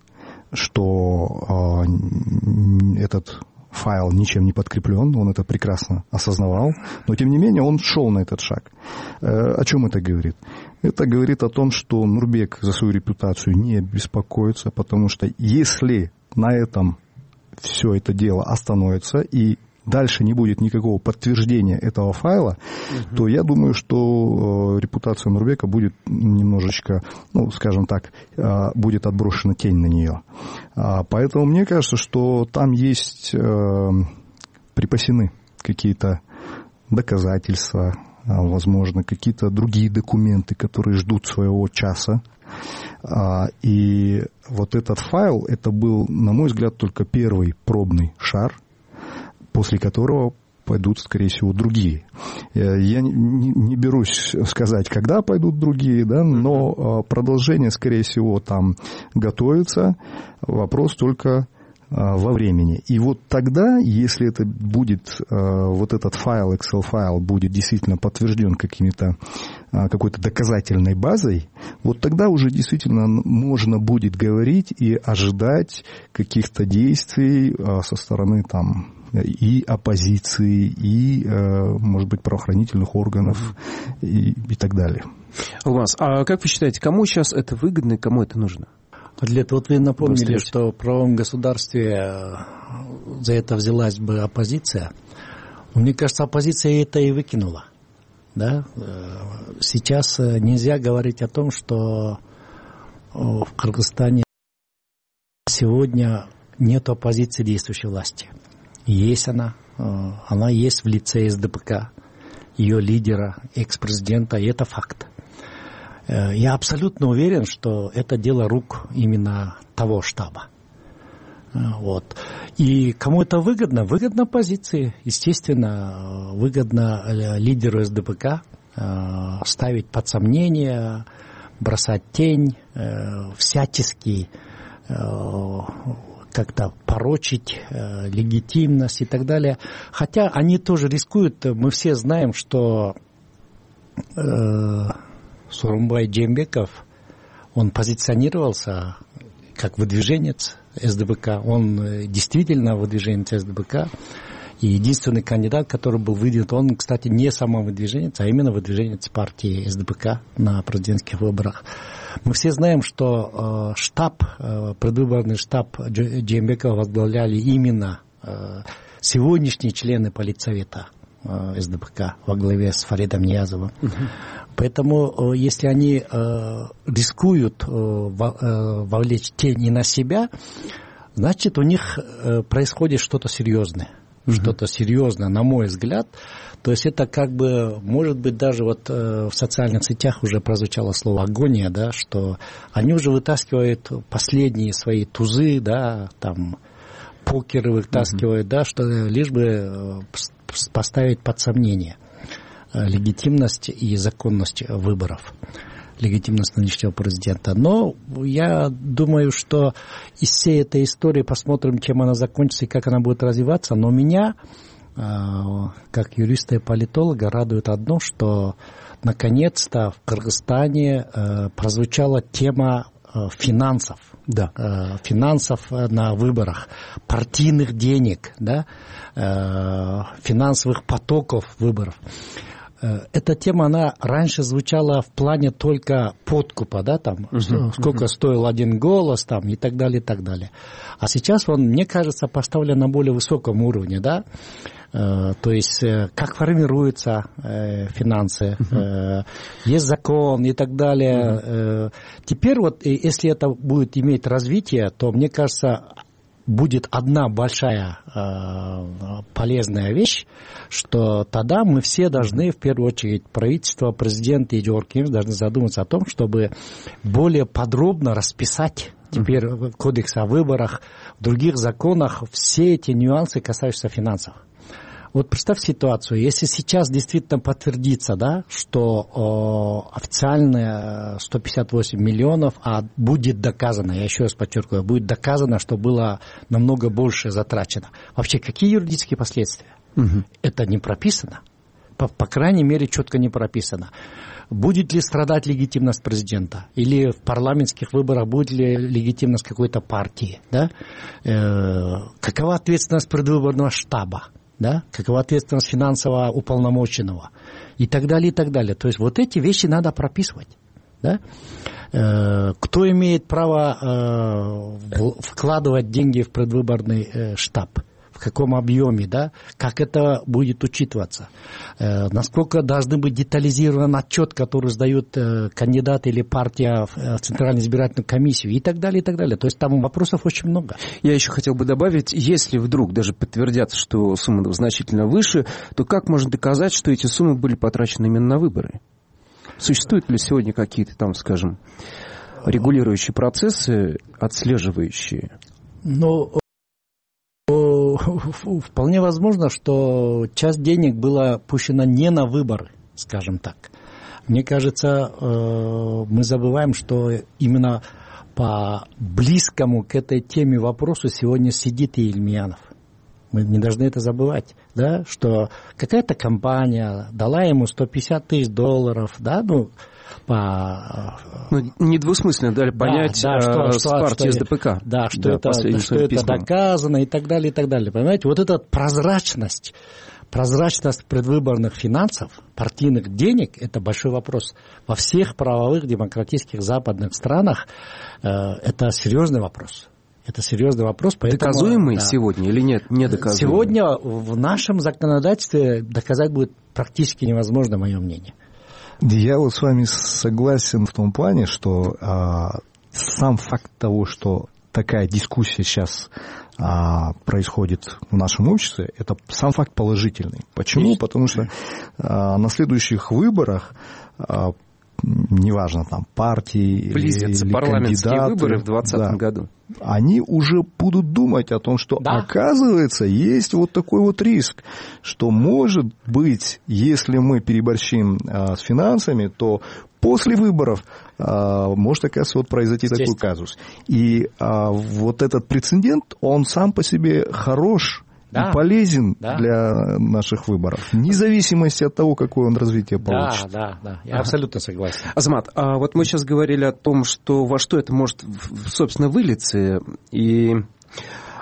что этот файл ничем не подкреплен, он это прекрасно осознавал, но тем не менее он шел на этот шаг. О чем это говорит? Это говорит о том, что Нурбек за свою репутацию не беспокоится, потому что если на этом все это дело остановится и дальше не будет никакого подтверждения этого файла, то я думаю, что репутация Нурбека будет немножечко, скажем так, будет отброшена тень на нее. Поэтому мне кажется, что там есть припасены какие-то доказательства, возможно, какие-то другие документы, которые ждут своего часа. И вот этот файл, это был, на мой взгляд, только первый пробный шар, после которого пойдут, скорее всего, другие. Я не берусь сказать, когда пойдут другие, да, но продолжение, скорее всего, там готовится. Вопрос только во времени. И вот тогда, если это будет, вот этот файл, Excel-файл, будет действительно подтвержден какой-то доказательной базой, вот тогда уже действительно можно будет говорить и ожидать каких-то действий со стороны там и оппозиции, и, может быть, правоохранительных органов и так далее. Алмаз, а как вы считаете, кому сейчас это выгодно и кому это нужно? Адлет, вот вы напомнили, что в правовом государстве за это взялась бы оппозиция. Мне кажется, оппозиция это и выкинула. Да? Сейчас нельзя говорить о том, что в Кыргызстане сегодня нет оппозиции действующей власти. Есть она есть в лице СДПК, ее лидера, экс-президента, и это факт. Я абсолютно уверен, что это дело рук именно того штаба. Вот. И кому это выгодно? Выгодно оппозиции. Естественно, выгодно лидеру СДПК ставить под сомнение, бросать тень, всячески как-то порочить легитимность и так далее. Хотя они тоже рискуют. Мы все знаем, что Сооронбай Жээнбеков, он позиционировался как выдвиженец СДПК. Он действительно выдвиженец СДПК. И единственный кандидат, который был выдвинут, он, кстати, не самовыдвиженец, а именно выдвиженец партии СДПК на президентских выборах. Мы все знаем, что предвыборный штаб Жээнбекова возглавляли именно сегодняшние члены политсовета СДПК во главе с Фаридом Ниязовым. Поэтому, если они рискуют вовлечь тень и на себя, значит, у них происходит что-то серьезное. Что-то серьезное, на мой взгляд. То есть это может быть, даже вот в социальных сетях уже прозвучало слово агония, да, что они уже вытаскивают последние свои тузы, да, там покеры вытаскивают, да, что лишь бы поставить под сомнение легитимность и законность выборов, легитимность нынешнего президента. Но я думаю, что из всей этой истории посмотрим, чем она закончится и как она будет развиваться. Но меня, как юриста и политолога, радует одно, что наконец-то в Кыргызстане прозвучала тема финансов. Да. Финансов на выборах, партийных денег, да, финансовых потоков выборов. эта тема, она раньше звучала в плане только подкупа, да, там, сколько стоил один голос, там, и так далее, и так далее. А сейчас он, мне кажется, поставлен на более высоком уровне, да, то есть как формируются финансы, есть закон и так далее. Теперь вот, если это будет иметь развитие, то, мне кажется, будет одна большая полезная вещь, что тогда мы все должны, в первую очередь, правительство, президент и Георгий должны задуматься о том, чтобы более подробно расписать теперь в Кодексе о выборах, в других законах все эти нюансы, касающиеся финансов. Вот представь ситуацию, если сейчас действительно подтвердится, да, что официальные 158 миллионов, а будет доказано, я еще раз подчеркиваю, будет доказано, что было намного больше затрачено. Вообще, какие юридические последствия? Это не прописано. По крайней мере, четко не прописано. Будет ли страдать легитимность президента? Или в парламентских выборах будет ли легитимность какой-то партии? Да? Какова ответственность предвыборного штаба? Да? Какова ответственность финансового уполномоченного? И так далее, и так далее. То есть вот эти вещи надо прописывать. Да? Кто имеет право вкладывать деньги в предвыборный штаб? В каком объеме, да? Как это будет учитываться? Насколько должен быть детализирован отчет, который сдают кандидаты или партия в Центральную избирательную комиссию, и так далее, и так далее. То есть там вопросов очень много. Я еще хотел бы добавить, если вдруг даже подтвердятся, что сумма значительно выше, то как можно доказать, что эти суммы были потрачены именно на выборы? Существуют ли сегодня какие-то там, скажем, регулирующие процессы, отслеживающие? Ну, вполне возможно, что часть денег была пущена не на выборы, скажем так. Мне кажется, мы забываем, что именно по близкому к этой теме вопросу сегодня сидит и Ильмиянов. Мы не должны это забывать, да, что какая-то компания дала ему $150 тысяч, да, недвусмысленно дали понять с партией СДПК. Да, что это доказано и так далее, и так далее. Понимаете, вот эта прозрачность предвыборных финансов, партийных денег, это большой вопрос. Во всех правовых демократических западных странах это серьезный вопрос. Это серьезный вопрос. Поэтому, доказуемый сегодня или нет? Недоказуемый? Сегодня в нашем законодательстве доказать будет практически невозможно, мое мнение. Я вот с вами согласен в том плане, что сам факт того, что такая дискуссия сейчас происходит в нашем обществе, это сам факт положительный. Почему? Потому что на следующих выборах, неважно, там, партии близятся или парламентские кандидаты, выборы в 2020 году. Они уже будут думать о том, что, оказывается, есть вот такой вот риск, что, может быть, если мы переборщим с финансами, то после выборов может, оказывается, вот произойти такой казус. И вот этот прецедент, он сам по себе хорош, и полезен для наших выборов, вне зависимости от того, какое он развитие получит. Да, я абсолютно согласен. Азамат, вот мы сейчас говорили о том, что во что это может, собственно, вылиться, и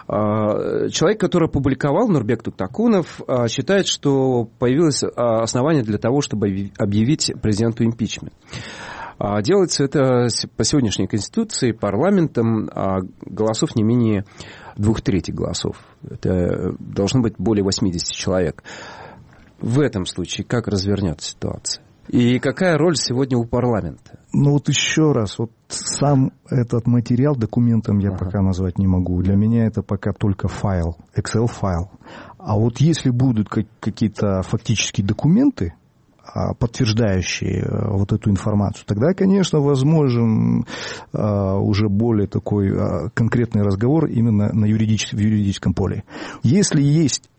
человек, который опубликовал, Нурбек Туктакунов, считает, что появилось основание для того, чтобы объявить президенту импичмент. Делается это по сегодняшней Конституции парламентом голосов не менее 2/3 голосов. Это должно быть более 80 человек. В этом случае как развернется ситуация? И какая роль сегодня у парламента? Ну вот еще раз, вот сам этот материал документом я пока назвать не могу. Для меня это пока только файл, Excel-файл. А вот если будут какие-то фактические документы, подтверждающие вот эту информацию, тогда, конечно, возможен уже более такой конкретный разговор именно в юридическом поле. Если есть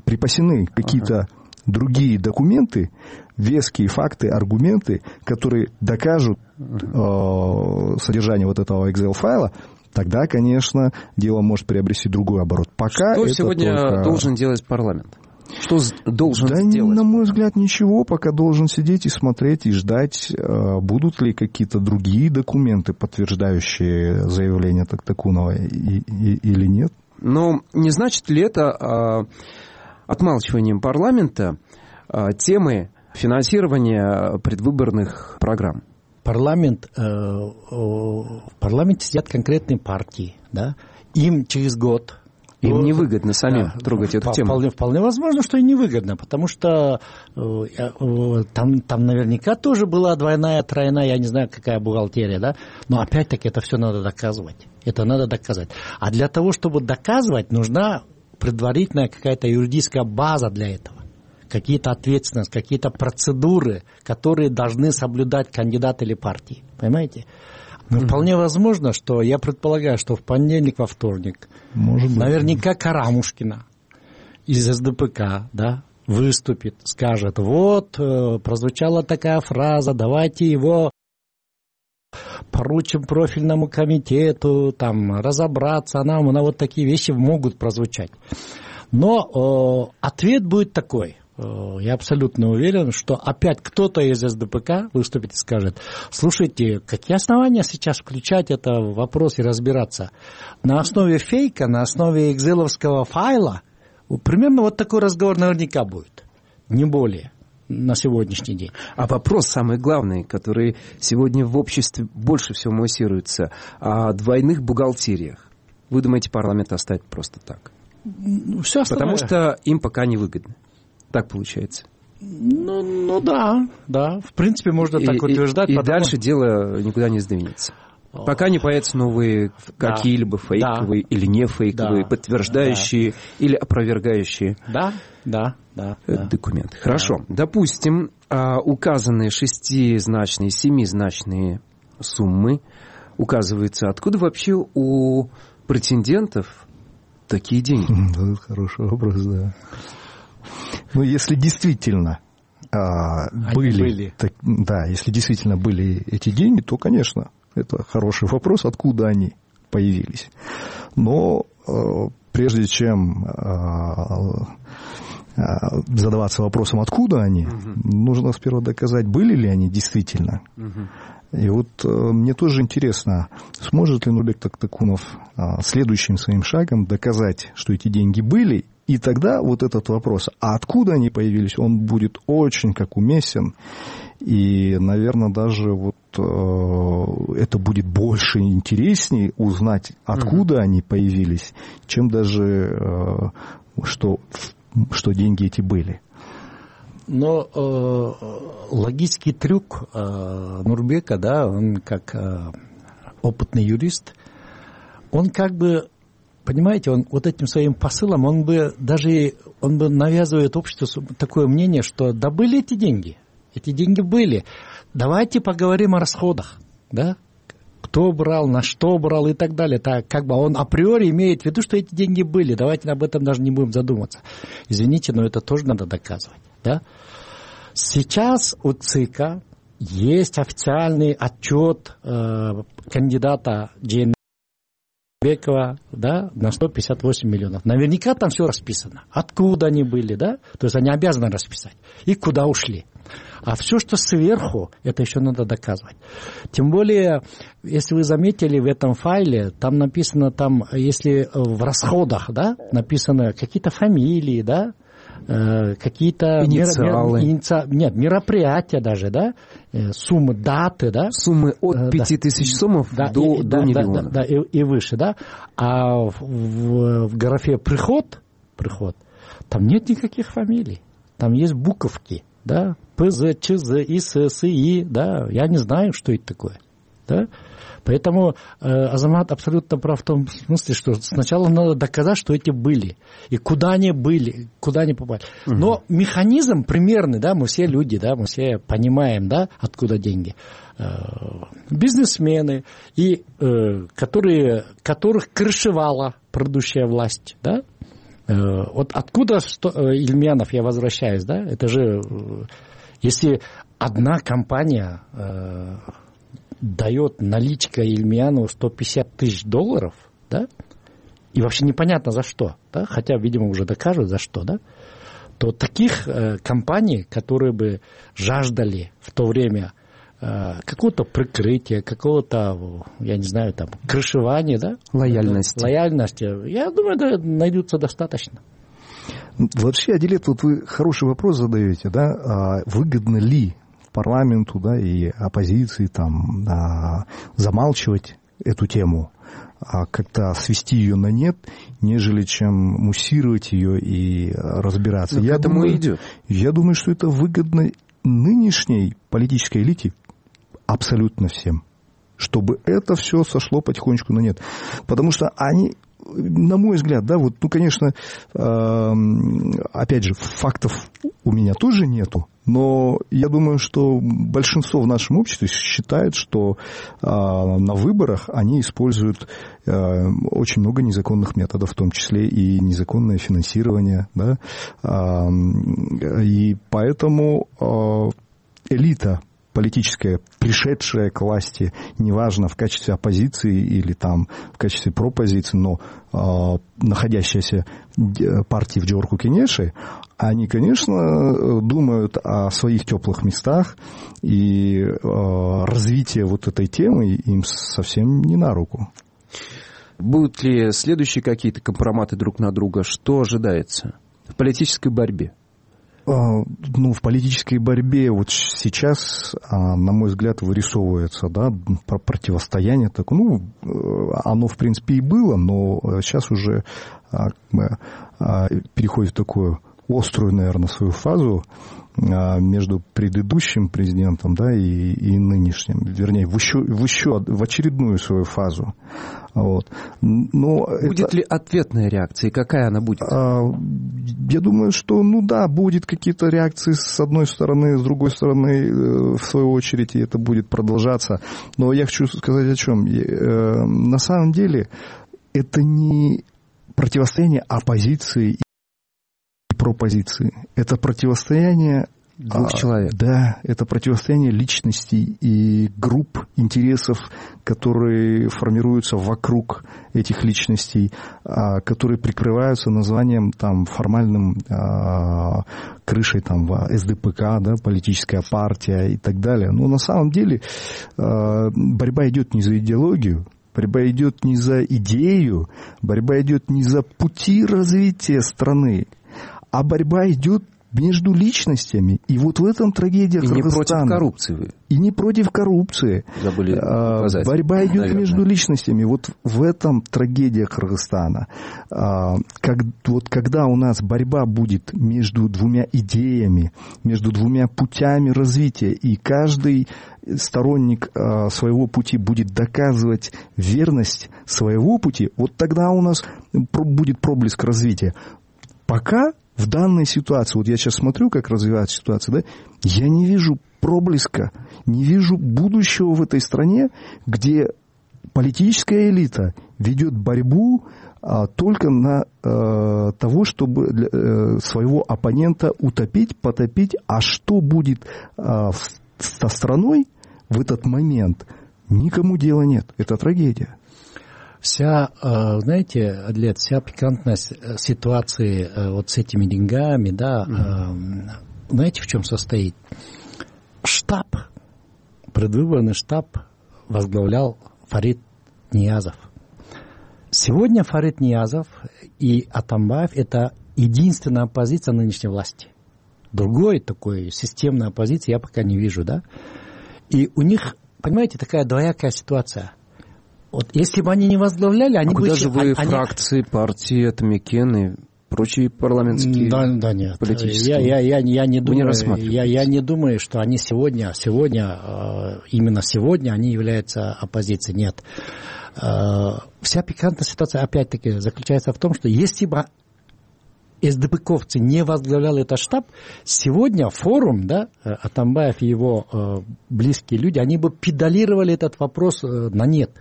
припасены какие-то другие документы, веские факты, аргументы, которые докажут содержание вот этого Excel-файла, тогда, конечно, дело может приобрести другой оборот. Пока что это сегодня должен делать парламент? Что должен сделать? На мой взгляд, ничего. Пока должен сидеть и смотреть, и ждать, будут ли какие-то другие документы, подтверждающие заявление Туктакунова или нет. Но не значит ли это отмалчиванием парламента темы финансирование предвыборных программ. В парламенте сидят конкретные партии, да, им через год... Им невыгодно самим трогать эту тему. Вполне возможно, что и невыгодно, потому что там наверняка тоже была двойная, тройная, я не знаю, какая бухгалтерия, да, но опять-таки это все надо доказывать. Это надо доказать. А для того, чтобы доказывать, нужна предварительная какая-то юридическая база для этого. Какие-то ответственности, какие-то процедуры, которые должны соблюдать кандидат или партии. Понимаете? Но вполне возможно, что я предполагаю, что в понедельник, во вторник наверняка Карамушкина из СДПК, да, выступит, скажет, вот, прозвучала такая фраза, давайте его поручим профильному комитету, там, разобраться, на вот такие вещи могут прозвучать. Но ответ будет такой. Я абсолютно уверен, что опять кто-то из СДПК выступит и скажет, слушайте, какие основания сейчас включать это в вопрос и разбираться? На основе фейка, на основе экселовского файла, примерно вот такой разговор наверняка будет, не более, на сегодняшний день. А вопрос самый главный, который сегодня в обществе больше всего муссируется, о двойных бухгалтериях. Вы думаете, парламент оставит просто так? Все Потому что им пока не выгодно. Так получается. Ну да. В принципе, можно так утверждать. И дальше дело никуда не сдвинется. Пока не появятся новые какие-либо фейковые или не фейковые, подтверждающие или опровергающие документы. Хорошо. Допустим, указанные 6-значные, 7-значные суммы указываются. Откуда вообще у претендентов такие деньги? Это хороший вопрос, да. Ну, если действительно если действительно были эти деньги, то, конечно, это хороший вопрос, откуда они появились. Но прежде чем задаваться вопросом, откуда они, нужно сперва доказать, были ли они действительно. И вот мне тоже интересно, сможет ли Нурбек Токтакунов следующим своим шагом доказать, что эти деньги были. И тогда вот этот вопрос, а откуда они появились, он будет очень как уместен. И, наверное, даже вот это будет больше и интереснее узнать, откуда они появились, чем даже что деньги эти были. Но логический трюк Нурбека, да, он как опытный юрист, он как бы, понимаете, он вот этим своим посылом, он бы навязывает обществу такое мнение, что да были эти деньги были. Давайте поговорим о расходах, да? Кто брал, на что брал и так далее. Так, как бы он априори имеет в виду, что эти деньги были. Давайте об этом даже не будем задумываться. Извините, но это тоже надо доказывать, да? Сейчас у ЦИКа есть официальный отчет кандидата Джейнбекова, да, на 158 миллионов. Наверняка там все расписано. Откуда они были, да? То есть они обязаны расписать. И куда ушли. А все, что сверху, это еще надо доказывать. Тем более, если вы заметили в этом файле, там написано, если в расходах, да, написано какие-то фамилии, да, какие-то мероприятия даже, да, суммы, даты, да. Суммы от 5000 сомов до миллиона. Да, и выше, да. А в графе приход, там нет никаких фамилий. Там есть буковки, да, ПЗ, ЧЗ, ИС, СИ, да, я не знаю, что это такое, да. Поэтому Азамат абсолютно прав в том смысле, что сначала надо доказать, что эти были, и куда они были, куда они попали. Но механизм примерный, да, мы все люди, да, мы все понимаем, да, откуда деньги. Бизнесмены, и, которых крышевала предыдущая власть, да. Вот откуда Ильменов, я возвращаюсь, да, это же, если одна компания дает наличка Ильмиянову $150 тысяч, да, и вообще непонятно за что, да, хотя, видимо, уже докажут за что, да, то таких компаний, которые бы жаждали в то время какого-то прикрытия, какого-то, я не знаю, там, крышевания, да? Лояльности, я думаю, да, найдутся достаточно. Вообще, Адилет, вот вы хороший вопрос задаете, да, выгодно ли парламенту, да, и оппозиции там замалчивать эту тему, как-то свести ее на нет, нежели чем муссировать ее и разбираться. Я думаю, идет. Я думаю, что это выгодно нынешней политической элите абсолютно всем, чтобы это все сошло потихонечку на нет. Потому что они, на мой взгляд, да, вот, ну, конечно, опять же, фактов у меня тоже нету, но я думаю, что большинство в нашем обществе считает, что на выборах они используют очень много незаконных методов, в том числе и незаконное финансирование, да, и поэтому элита политическая, пришедшая к власти, неважно, в качестве оппозиции или там в качестве пропозиции, но находящаяся партии в Джорку Кенеши, они, конечно, думают о своих теплых местах, и развитие вот этой темы им совсем не на руку. Будут ли следующие какие-то компроматы друг на друга? Что ожидается в политической борьбе? Ну, в политической борьбе вот сейчас, на мой взгляд, вырисовывается, да, противостояние. Так, ну, оно, в принципе, и было, но сейчас уже переходит в такую острую, наверное, свою фазу между предыдущим президентом, да, и нынешним, вернее, в очередную свою фазу. Вот. Но будет ли ответная реакция, и какая она будет? Я думаю, что, ну да, будет какие-то реакции с одной стороны, с другой стороны, в свою очередь, и это будет продолжаться. Но я хочу сказать о чем. На самом деле, это не противостояние оппозиции и пропозиции. Это противостояние двух человек. Да, это противостояние личностей и групп интересов, которые формируются вокруг этих личностей, которые прикрываются названием там формальным крышей там СДПК, да, политическая партия и так далее. Но на самом деле борьба идет не за идеологию, борьба идет не за идею, борьба идет не за пути развития страны, а борьба идет между личностями. И вот в этом трагедия Кыргызстана. И не против коррупции. И не против коррупции. Забыли указать. Борьба идет, наверное, между личностями. Вот в этом трагедия Кыргызстана. Когда у нас борьба будет между двумя идеями, между двумя путями развития, и каждый сторонник своего пути будет доказывать верность своего пути, вот тогда у нас будет проблеск развития. Пока в данной ситуации, вот я сейчас смотрю, как развивается ситуация, да, я не вижу проблеска, не вижу будущего в этой стране, где политическая элита ведет борьбу только на того, чтобы своего оппонента утопить, потопить. А что будет со страной в этот момент, никому дела нет. Это трагедия. Вся, знаете, Адлет, вся пикантность ситуации вот с этими деньгами, да, знаете, в чем состоит? Штаб, предвыборный штаб возглавлял Фарид Ниязов. Сегодня Фарид Ниязов и Атамбаев – это единственная оппозиция нынешней власти. Другой такой системной оппозиции я пока не вижу, да. И у них, понимаете, такая двоякая ситуация. Вот если бы они не возглавляли, они бы... Куда же вы фракции, партии, Атамекен и прочие парламентские... Да, нет. Политические... Я не думаю, не я не думаю, что они сегодня, именно сегодня они являются оппозицией. Нет. Вся пикантная ситуация, опять-таки, заключается в том, что если бы СДПковцы не возглавляли этот штаб, сегодня форум, да, Атамбаев и его близкие люди, они бы педалировали этот вопрос на нет.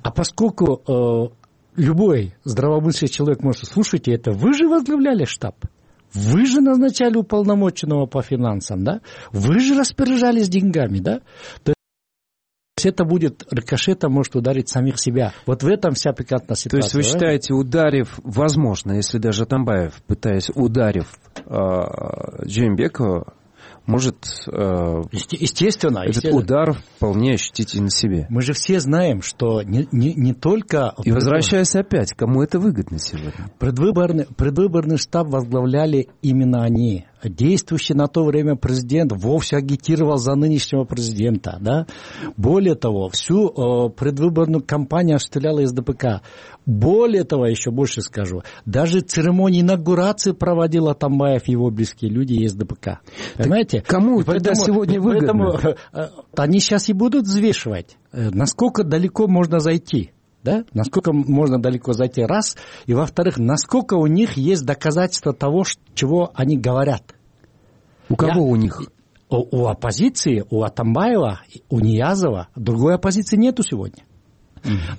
А поскольку любой здравомыслящий человек может: слушайте, это вы же возглавляли штаб, вы же назначали уполномоченного по финансам, да, вы же распоряжались деньгами, да, то есть это будет рикошетом, может ударить самих себя. Вот в этом вся пикантная ситуация. То есть вы считаете, ударив, возможно, если даже Атамбаев, пытаясь ударив Джеймбекова, может естественно, этот удар вполне ощутить и на себе. Мы же все знаем, что не только... И возвращаясь опять, кому это выгодно сегодня? Предвыборный штаб возглавляли именно они. Действующий на то время президент вовсе агитировал за нынешнего президента. Да? Более того, всю предвыборную кампанию осуществляла СДПК. Более того, еще больше скажу, даже церемонии инаугурации проводил Атамбаев и его близкие люди из СДПК. Понимаете? Кому тогда сегодня выгодно? Поэтому они сейчас и будут взвешивать, насколько далеко можно зайти. Да? Насколько можно далеко зайти, раз. И во-вторых, насколько у них есть доказательства того, чего они говорят. У кого у них? У оппозиции, у Атамбаева, у Ниязова. Другой оппозиции нету сегодня.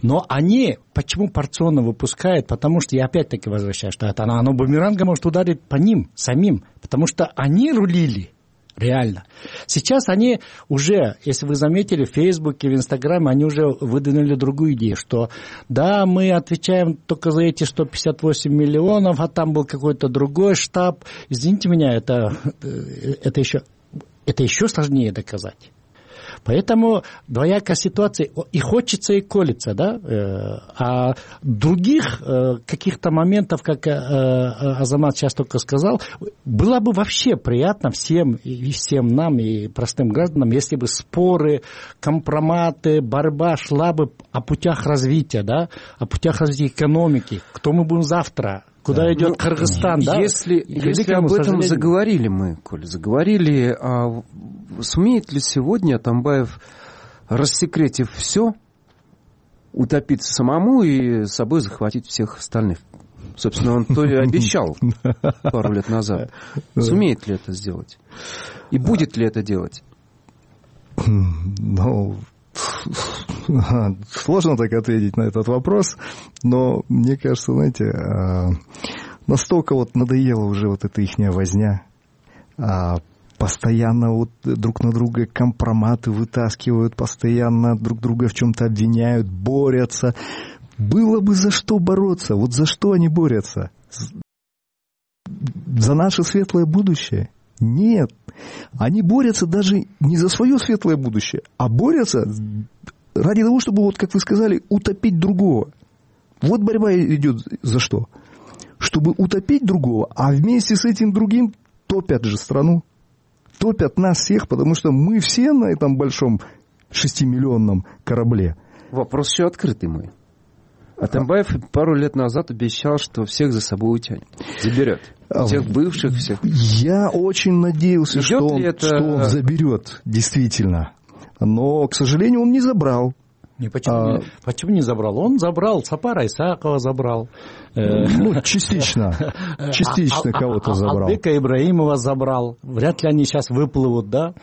Но они почему порционно выпускают? Потому что, я опять-таки возвращаюсь, что это оно бумерангом может ударить по ним самим. Потому что они рулили. Реально. Сейчас они уже, если вы заметили, в Фейсбуке, в Инстаграме, они уже выдвинули другую идею, что да, мы отвечаем только за эти 158 миллионов, а там был какой-то другой штаб. Извините меня, это еще сложнее доказать. Поэтому двоякая ситуация, и хочется, и колется, да, а других каких-то моментов, как Азамат сейчас только сказал, было бы вообще приятно всем нам, и простым гражданам, если бы споры, компроматы, борьба шла бы о путях развития, да, о путях развития экономики, кто мы будем завтра, куда идет Кыргызстан, да? Если об этом заговорили мы, Коля, а сумеет ли сегодня Атамбаев, рассекретив все, утопиться самому и с собой захватить всех остальных? Собственно, он то и обещал пару лет назад. Сумеет ли это сделать? И будет ли это делать? Ну, сложно так ответить на этот вопрос, но мне кажется, знаете, настолько вот надоела уже вот эта ихняя возня, постоянно вот друг на друга компроматы вытаскивают, постоянно друг друга в чем-то обвиняют, борются. Было бы за что бороться. Вот за что они борются? За наше светлое будущее? Нет. Они борются даже не за свое светлое будущее, а борются ради того, чтобы, вот как вы сказали, утопить другого. Вот борьба идет за что? Чтобы утопить другого, а вместе с этим другим топят же страну. Топят нас всех, потому что мы все на этом большом 6-миллионном корабле. Вопрос еще открытый мой. Атамбаев пару лет назад обещал, что всех за собой утянет, заберет. Всех бывших, всех. Я очень надеялся, что он заберет, действительно. Но, к сожалению, он не забрал. Почему не забрал? Он забрал, Сапара Исакова забрал. Ну, частично кого-то забрал. Албека Ибраимова забрал. Вряд ли они сейчас выплывут, да?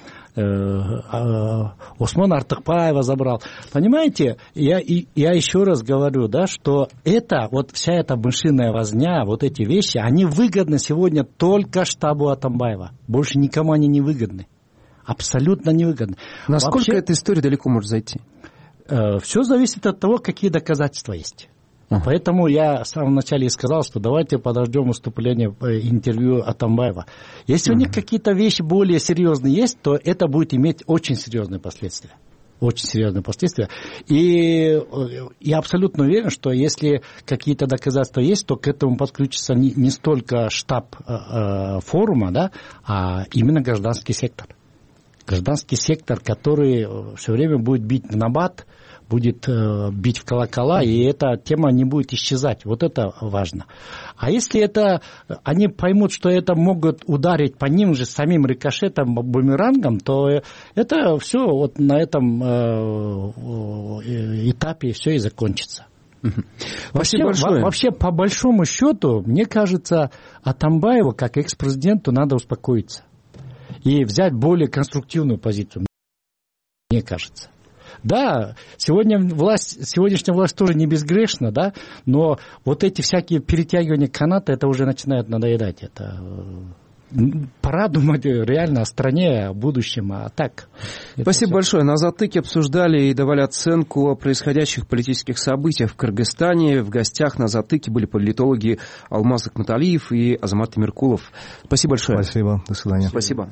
Осмон Артыкпаева забрал. Понимаете, я еще раз говорю, да, что это, вот вся эта мышиная возня, вот эти вещи, они выгодны сегодня только штабу Атамбаева. Больше никому они не выгодны. Абсолютно невыгодны. Насколько эта история далеко может зайти? Все зависит от того, какие доказательства есть. Поэтому я в самом начале и сказал, что давайте подождем выступления, интервью Атамбаева. Если у них какие-то вещи более серьезные есть, то это будет иметь очень серьезные последствия. Очень серьезные последствия. И я абсолютно уверен, что если какие-то доказательства есть, то к этому подключится не столько штаб форума, да, а именно гражданский сектор. Гражданский сектор, который все время будет бить в набат, будет бить в колокола, и эта тема не будет исчезать. Вот это важно. А если они поймут, что это могут ударить по ним же самим рикошетом, бумерангом, то это все вот на этом этапе все и закончится. Вообще, по большому счету, мне кажется, Атамбаеву, как экс-президенту, надо успокоиться и взять более конструктивную позицию, мне кажется. Да, сегодняшняя власть тоже не безгрешна, да, но вот эти всякие перетягивания каната, это уже начинает надоедать. Это пора думать реально о стране, о будущем, а так. Спасибо большое. На «Затыке» обсуждали и давали оценку о происходящих политических событиях в Кыргызстане. В гостях на «Затыке» были политологи Алмаз Акматалиев и Азамат Темиркулов. Спасибо большое. Спасибо. До свидания. Спасибо.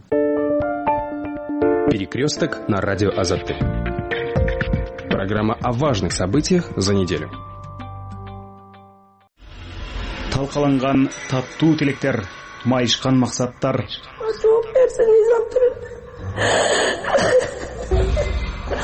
Перекресток на радио Азаттык. Программа о важных событиях за неделю. Талкаланган таттуу тилектер, майышкан максаттар. Жооп берсеңиз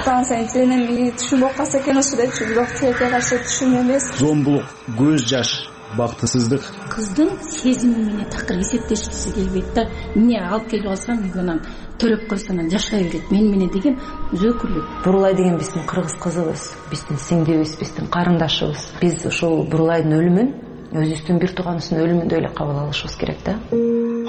Таңсайын сенен мени түшүнбөп калса экен ошо депчи, бирок тилекке каршы түшүн эмес. Зомбулук, көз жаш, бактысыздык. Кыздын сезими менен такыр эсептешкиси келбейт да. Эмне алып келип алсам үйгө төлөп койсо анан жашай берет. Мен менен деген өзөкүлүк. Бурулай деген биздин кыргыз кызыбыз, биздин сиңдибиз, биздин карындашыбыз. Биз ушул Бурулайдын өлүмүн өзүбүздүн бир тууганыбыздын өлүмүндөй эле кабыл алышыбыз керек да.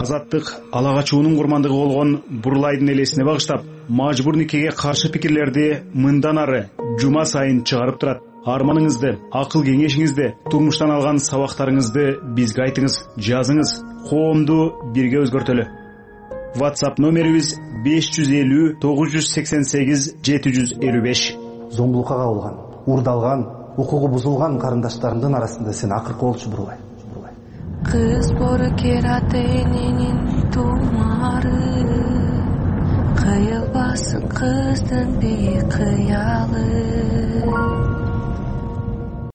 Азаттык ала качуунун курмандыгы болгон Бурулайдын элесине багыштап, мажбур никеге каршы пикирлерди мындан ары жума сайын чыгарып турат. Арманыңызды, акыл кеңешиңизди, турмуштан алган сабактарыңызды бизге айтыңыз, жазыңыз. Коомду бирге өзгөртөлү. WhatsApp номерибиз 550 988 755. Зомбулукка кабылган, уурдалган, укугу бузулган карындаштарымдын арасында сен акыркы болчу Бурулай. Кыз боркераты эненин тумары, кыйылбасын кыздын бейкыялы.